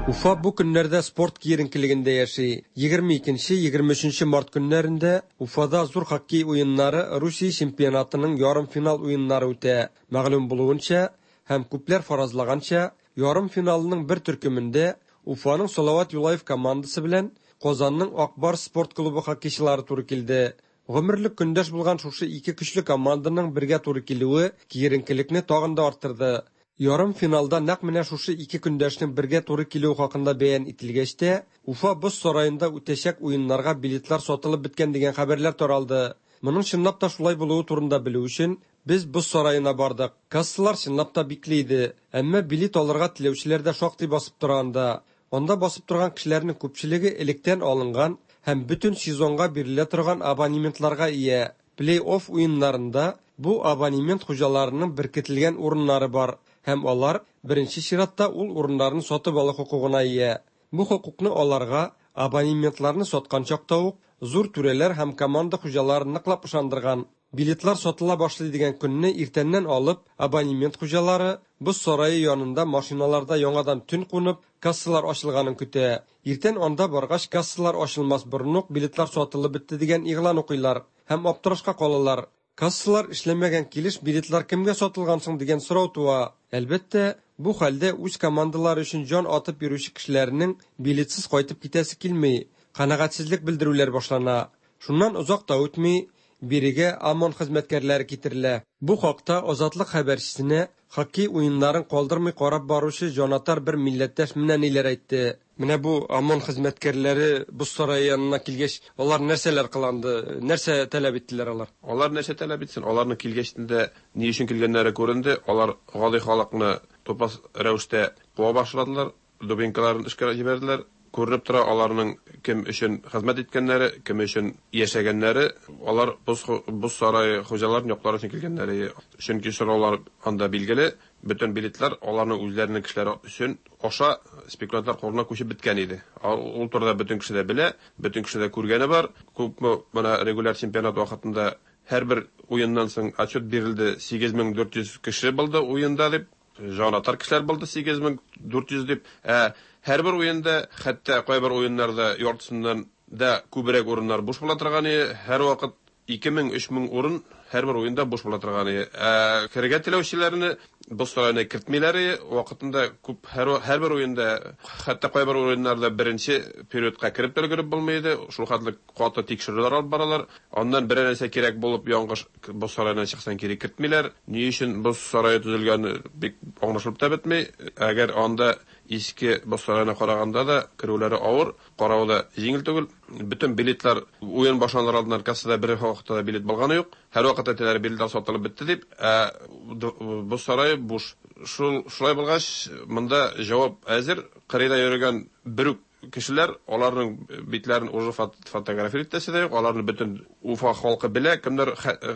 Уфа бу көннәрдә спорт киеренкелегендә яши. 22-23 март көннәрендә Уфада зур хоккей уеннары Русия чемпионатының ярымфинал уеннары үтә. Мәгълүм булуынча һәм күпләр фаразлаганча, ярымфиналның бер төркемендә Уфаның Салават Юлаев командасы белән Казанның Ак Барс спорт клубы хоккейчылары туры килде. Гомерлек көндәш булган шушы ике көчле команданың бергә туры килүе киеренкелекне тагын да арттырды. Ярымфиналда нәкъ менә шушы ике көндәшнең бергә туры килүе хакында бәян ителгәч тә, Уфа боз сараенда үтәчәк уеннарга билетлар сатылып беткән дигән хәбәрләр таралды. Моның чынлап та шулай булуы турында белү өчен, без боз сараена бардык. Кассалар чынлап та бикле иде. Әмма билет алырга теләүчеләр дә шактый басып тора анда. Анда басып торган кешеләрнең күпчелеге электән алынган һәм бөтен сезонга бирелә торган абонементларга ия. Плей-офф уеннарында бу абонемент хуҗаларының беркетелгән урыннары бар һәм алар беренче чиратта ул урыннарны сатып алу хокукына ия. Бу хокукны аларга абонементларны саткан чакта ук зур түрәләр һәм команда хуҗалары ныклап ышандырган. Билетлар сатыла башлый дигән көнне иртәннән алып, абонемент хуҗалары боз сарае янында машиналарда яңадан төн кунып, кассалар ачылганын көтә. Иртән анда баргач, кассалар ачылмас борын ук билетлар сатылып бетте дигән игълан укыйлар һәм аптырашка калалар. Кассалар эшләмәгән килеш билетлар кемгә сатылган соң дигән сорау туа. Әлбәттә, бу хәлдә үз командалары өчен җан атып йөрүче кешеләрнең билетсыз кайтып китәсе килми, канәгатьсезлек белдерүләр башлана. Шуннан озак та үтми, бирегә ОМОН хезмәткәрләре китерелә. Бу хакта Азатлык хәбәрчесенә хоккей уеннарын калдырмый карап баручы җанатар бер милләттәш менә ниләр әйтте. Менә бу ОМОН хезмәткәрләре боз сарае янына килгәч, алар нәрсәләр кыланды, нәрсә таләп иттеләр алар?
Алар нәрсә таләп итсен? Аларның килгәчтен дә ни өчен килгәннәре күренде. Алар гади халыкны тупас рәвештә куа башладылар, дубинкаларын эшкә җибәрделәр. Күренеп тора, аларның кем өчен хезмәт иткәннәре, кем өчен яшәгәннәре, алар боз боз сарае хуҗаларын яклар өчен килгәннәре. Чөнки сораулар анда билгеле, бөтен билетлар аларның үзләренең кешеләре өчен аша спекулянтлар кулына күчеп беткән иде. Ул турыда бөтен кеше дә белә, бөтен кеше дә күргәне бар. Күпме менә регуляр чемпионат вакытында һәрбер уеннан соң отчет бирелде, 8400 кеше булды уенда дип. Җанатар кешеләр булды 8400 дип. Ә һәрбер уенда, хәтта кайбер уеннарда яртысыннан да күбрәк урыннар буш була торган иде. Һәрвакыт 2000-3000 урын Һәрбер уенда буш була торган иде. Ә керергә теләүчеләрне боз сараена кертмиләр иде. Вакытында күп һәр һәрбер уенда, хәтта кайбер уеннарда беренче периодка кереп тә өлгереп булмый иде. Шул хәтле каты тикшерүләр алып баралар. Аннан берәр нәрсә кирәк булып яңгыш боз сараеннан чыксаң кире кертмиләр. Ни өчен боз сарае төзелгәне бик аңлашылып та бетми. Әгәр анда иске боз сараена караганда да керүләре авыр, каравы да җиңел түгел. Бөтен билетлар уен башланыр алдыннан кассада бер вакытта да билет булганы юк. Һәрвакыт әйтәләр, билетлар сатылып бетте дип, ә боз сарае буш. Шул шулай булгач, монда җавап әзер. Кырыйда йөрегән бер үк кешеләр, аларның битләрен уже фотографировать итәсе дә юк, аларны бөтен Уфа халкы белә, кемнәр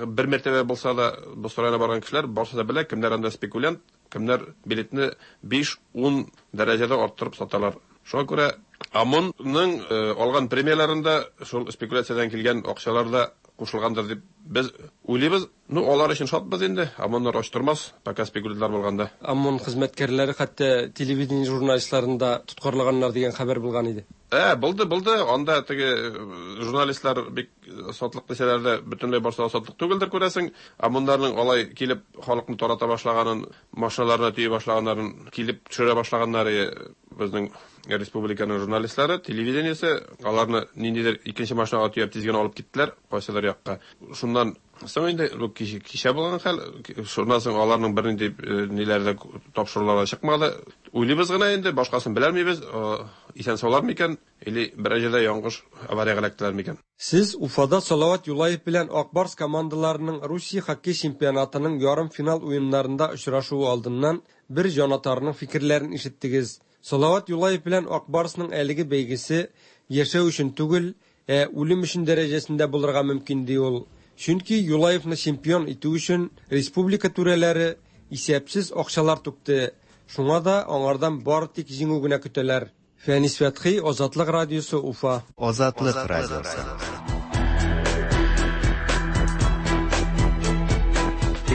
бер мәртәбә булса да боз сараена барган кешеләр барысы да белә, кемнәр анда спекулянт, кемнәр билетны 5-10 дәрәҗәдә арттырып саталар. Шуңа күрә ОМОНның алган премияләрендә шул спекуляциядән килгән акчалар да кушылгандыр дип без уйлыйбыз. Ну, алар өчен шатбыз инде. ОМОНнар ач тормас, пока спекулянтлар булганда.
ОМОН хезмәткәрләре хәтта телевидение журналистларын да тоткарлаганнар дигән хәбәр булган иде.
Ә, булды, булды. Анда теге журналистлар бик сатлык дисәләр дә, бөтенләй барсы да сатлык түгелдер, күрәсең. ОМОНнарның алай килеп халыкны тарата башлаганын, машиналарына төйи башлаганнарын, килеп төшерә башлаганнары безнең республиканың журналистлары, телевидениесе, аларны ниндидер икенче машинага төяп тиз генә алып киттеләр, кайсыдыр якка. Шуннан соң инде бу кичә булган хәл, шуннан соң аларның бернинди ниләре дә тапшырулары да чыкмады. Уйлыйбыз гына инде, башкасын беләлмибез, исән-саулар микән, или берәр җирдә яңгыш авариягә эләктеләр микән.
Сез Уфада Салават Юлаев белән Ак Барс командаларының Русия хоккей чемпионатының ярымфинал уеннарында очрашуы алдыннан бер җанатарның фикерләрен ишеттегез. Салават Юлаев белән Ак Барсның әлеге бәйгесе яшәү өчен түгел, ә үлем өчен дәрәҗәсендә булырга мөмкин, ди ул. Чөнки Юлаевны чемпион итү өчен республика түрәләре исәпсез акчалар түкте, шуңа да аңардан бары тик җиңү генә көтәләр. Фәнис Фәтхи, Азатлык радиосы, Уфа.
Азатлык радиосы.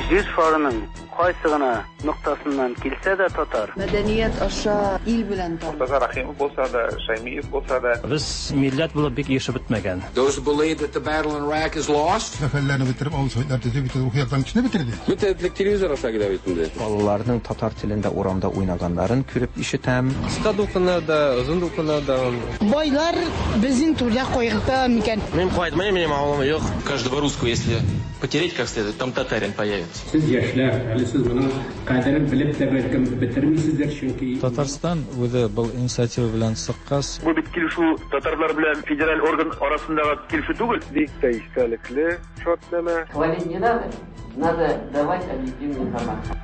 Җир шарының кайсы гына ноктасыннан килсә дә татар.
Мәдәният аша ил белән таныш.
Мортаза Рәхимов булса да, Шәймиев булса да.
Без милләт булып бик ирешеп бетмәгән.
Those who believe that the battle in Iraq is lost.
Сәфәрләрне бетереп, авыл советлар төзеп, бөтен рухи яктан кешене бетерде.
Бөтен этлек телевизор аша килә бит инде.
Балаларның татар телендә урамда уйнаганнарын күреп ишетәм.
Кыска дулкыннар да, озын дулкыннар да.
Байлар безнең турда кайгырта микән?
Мин кайтмыйм, минем авылым юк. Каждого русского, если потереть как следует, там татарин появится.
Сез яшьләр, әле сез моның кадерен белеп тә бәлкем бетермисездер, чөнки
Татарстан үзе был инициатива белән чыккач.
Бу бит килешү татарлар белән федераль орган арасындагы килешү түгел.
Бик тә истәлекле шартнамә.
Хвалить не надо, надо давать объективную информацию.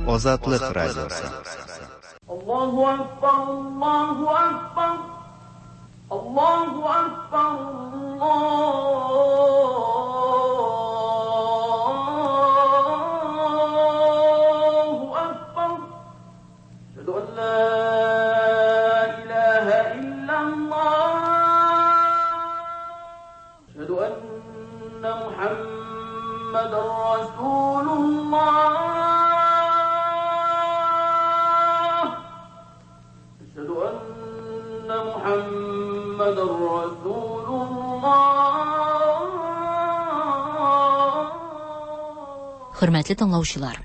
Азатлык радиосы.
Аллаһу акбар, Аллаһу акбар, Аллаһу акбар, Аллаһу акбар. Әшһәду ан ла илаһа иллаллаһ. Әшһәду анна Мухаммадан расулуллаһ. Әшһәду анна Мухаммадан расулуллаһ.
Хөрмәтле тыңлаучылар,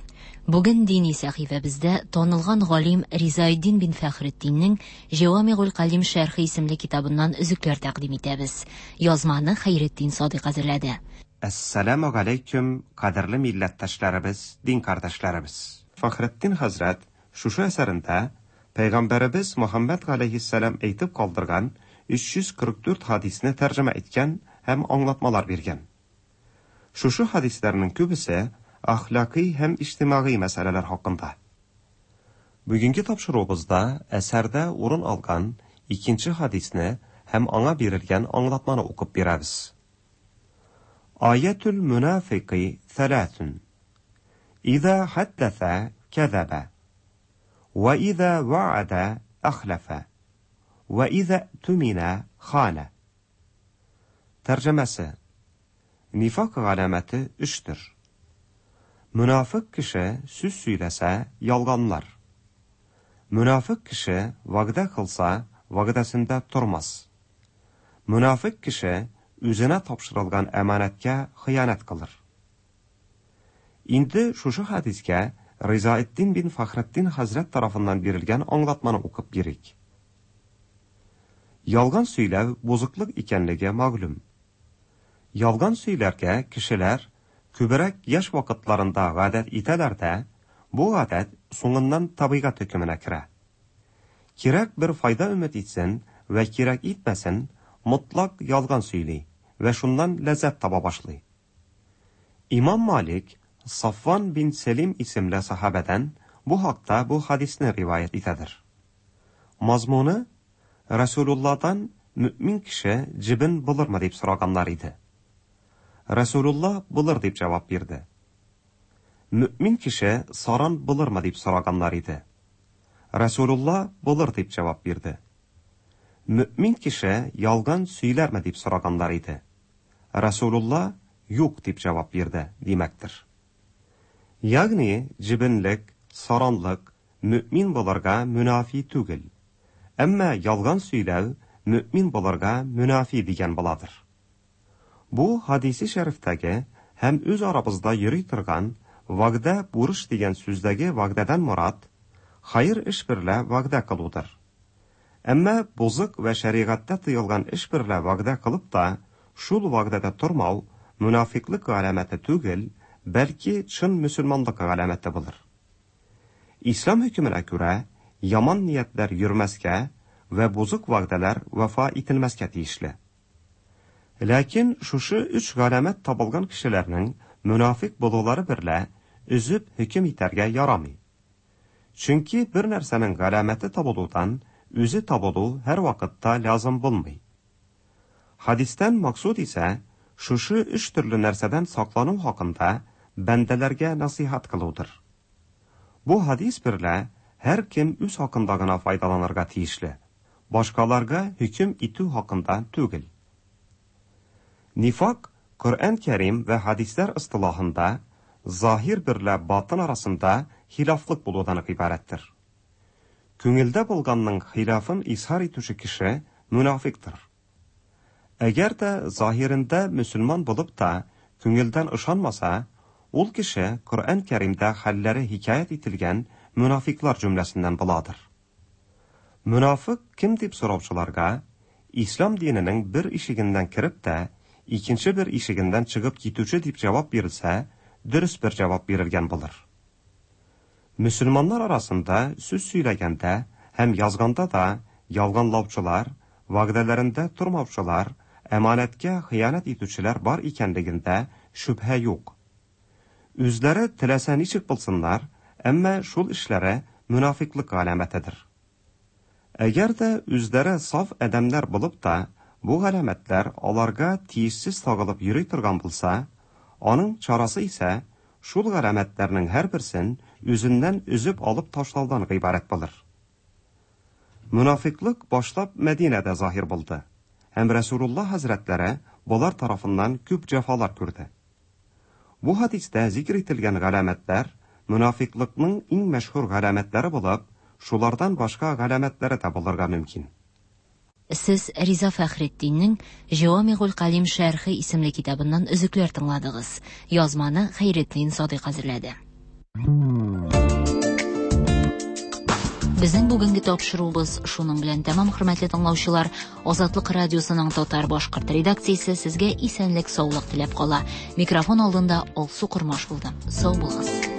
бүген дини сәхифәбездә танылган галим Ризаэддин бин Фәхретдиннең Җәвамигуль Калим шәрхе исемле китабыннан өзекләр тәкъдим итәбез. Язманы Хәйретдин Садыйк әзерләде.
Әссәламү галәйкүм, кадерле милләттәшләребез, дин кардәшләребез. Фәхретдин хәзрәт шушы әсәрендә Пәйгамбәребез Мөхәммәд галәйһиссәлам әйтеп калдырган 344 хадисне тәрҗемә иткән һәм аңлатмалар биргән. Шушы хадисләрнең күбесе әхлакый һәм иҗтимагый мәсьәләләр хакында. Бүгенге тапшыруыбызда әсәрдә урын алган икенче хадисне һәм аңа бирелгән аңлатманы укып бирәбез. Аятул мунафикы thalathun. Иза хаддаса кәзәбә. Ва иза ваада ахлафа. Ва иза тумина хана. Тәрҗемәсе. Нифак галәмәте өчтер. Мөнафык кеше сүз сөйләсә, ялганлар. Мөнафык кеше вәгъдә кылса, вәгъдәсендә тормас. Мөнафыйк кеше үзенә тапшырылган әманәткә хыянәт кылыр. Инде шушы хәдискә Ризаэтдин бин Фәхретдин хәзрәт тарафыннан бирелгән аңлатманы укып бирик. Ялган сөйләү бозыклык икәнлеге мәгълүм. Ялган сөйләргә кешеләр күбрәк яшь вакытларында гадәт итәләр дә, бу гадәт соңыннан табигать хөкеменә керә. Кирәк бер файда өмет итсен вә кирәк итмәсен, мотлак ялган сөйли вә шуннан ләззәт таба башлый. Имам Малик Сафван бин Сәлим исемле сахабәдән бу хакта бу хадисне риваять итәдер. Мазмуны Расулулладан мөэмин кеше җебен булырмы дип сораганнар иде. Расулулла булыр дип җавап бирде. Мөэмин кеше саран булырмы дип сораганнар иде. Расулулла булыр дип җавап бирде. Мөэмин кеше ялган сөйләрме дип сораганнар иде. Расулулла юк дип җавап бирде, димәктер. Ягъни җебенлек, саранлык мөэмин булырга мөнафи түгел. Әмма ялган сөйләү мөэмин булырга мөнафи дигән буладыр. Бу хадиси шәрифтәге һәм үз арабызда йөри торган вәгъдә бурыч дигән сүздәге вәгъдәдән морад хәер эш берлә вәгъдә кылудыр. Әмма бозык вә шәригатьтә тыелган эш берлә вәгъдә кылып та, шул вәгъдәдә тормау мөнафикълык галәмәте түгел, бәлки чын мөселманлык галәмәте булыр. Ислам хөкеменә күрә, яман ниятләр йөрмәскә вә бозык вәгъдәләр вафа ителмәскә тиешле. Ләкин шушы өч галәмәт табылган кешеләрнең мөнафик булулары берлә өзеп хөкем итәргә ярамый. Чөнки бер нәрсәнең галәмәте табылудан үзе табылу һәрвакытта лязым булмый. Хадистән максуд исә шушы өч төрле нәрсәдән саклану хакында бәндәләргә насыйхат кылудыр. Бу хадис берлә һәркем үз хакында гына файдаланырга тиешле, башкаларга хөкем итү хакында түгел. Нифак Коръән Кәрим вә хадисләр ыстылахында заһир берлә батын арасында хилафлык булудан гыйбарәттер. Күңелдә булганның хилафын изһар итүче кеше мөнафиктыр. Әгәр дә заһирендә мөселман булып та күңелдән ышанмаса, ул кеше Коръән Кәримдә хәлләре хикәят ителгән мөнафиклар җөмләсеннән буладыр. Мөнафык кем дип сораучыларга, Ислам диненең бер ишегеннән кереп тә, икенче бер ишегеннән чыгып китүче дип җавап бирелсә, дөрес бер җавап бирелгән булыр. Мөселманнар арасында сүз сөйләгәндә һәм язганда да ялганлаучылар, вәгъдәләрендә тормаучылар, әманәткә хыянәт итүчеләр бар икәнлегендә шөбһә юк. Үзләре теләсә ничек булсыннар, әмма шул эшләре мөнафиклык галәмәтедер. Әгәр дә үзләре саф адәмнәр булып та, бу галәмәтләр аларга тиешсез тагылып йөри торган булса, аның чарасы исә шул галәмәтләрнең һәрберсен үзеннән өзеп алып ташлаудан гыйбарәт булыр. Мөнафиклык башлап Мәдинәдә заһир булды һәм Рәсүлулла хәзрәтләре болар тарафыннан күп җәфалар күрде. Бу хадистә зикр ителгән галәмәтләр мөнафиклыкның иң мәшһүр галәмәтләре булып, шулардан башка галәмәтләре дә булырга мөмкин.
Сез Риза Фәхретдиннең Җәвамигуль Калим шәрхе исемле китабыннан өзекләр тыңладыгыз. Язманы Хәйретдин Садыйк әзерләде. Безнең бүгенге тапшыруыбыз шуның белән тәмам, хөрмәтле тыңлаучылар. Азатлык радиосының татар башкорт редакциясе сезгә исәнлек, саулык теләп кала. Микрофон алдында Алсу Кормаш булды. Сау булыгыз.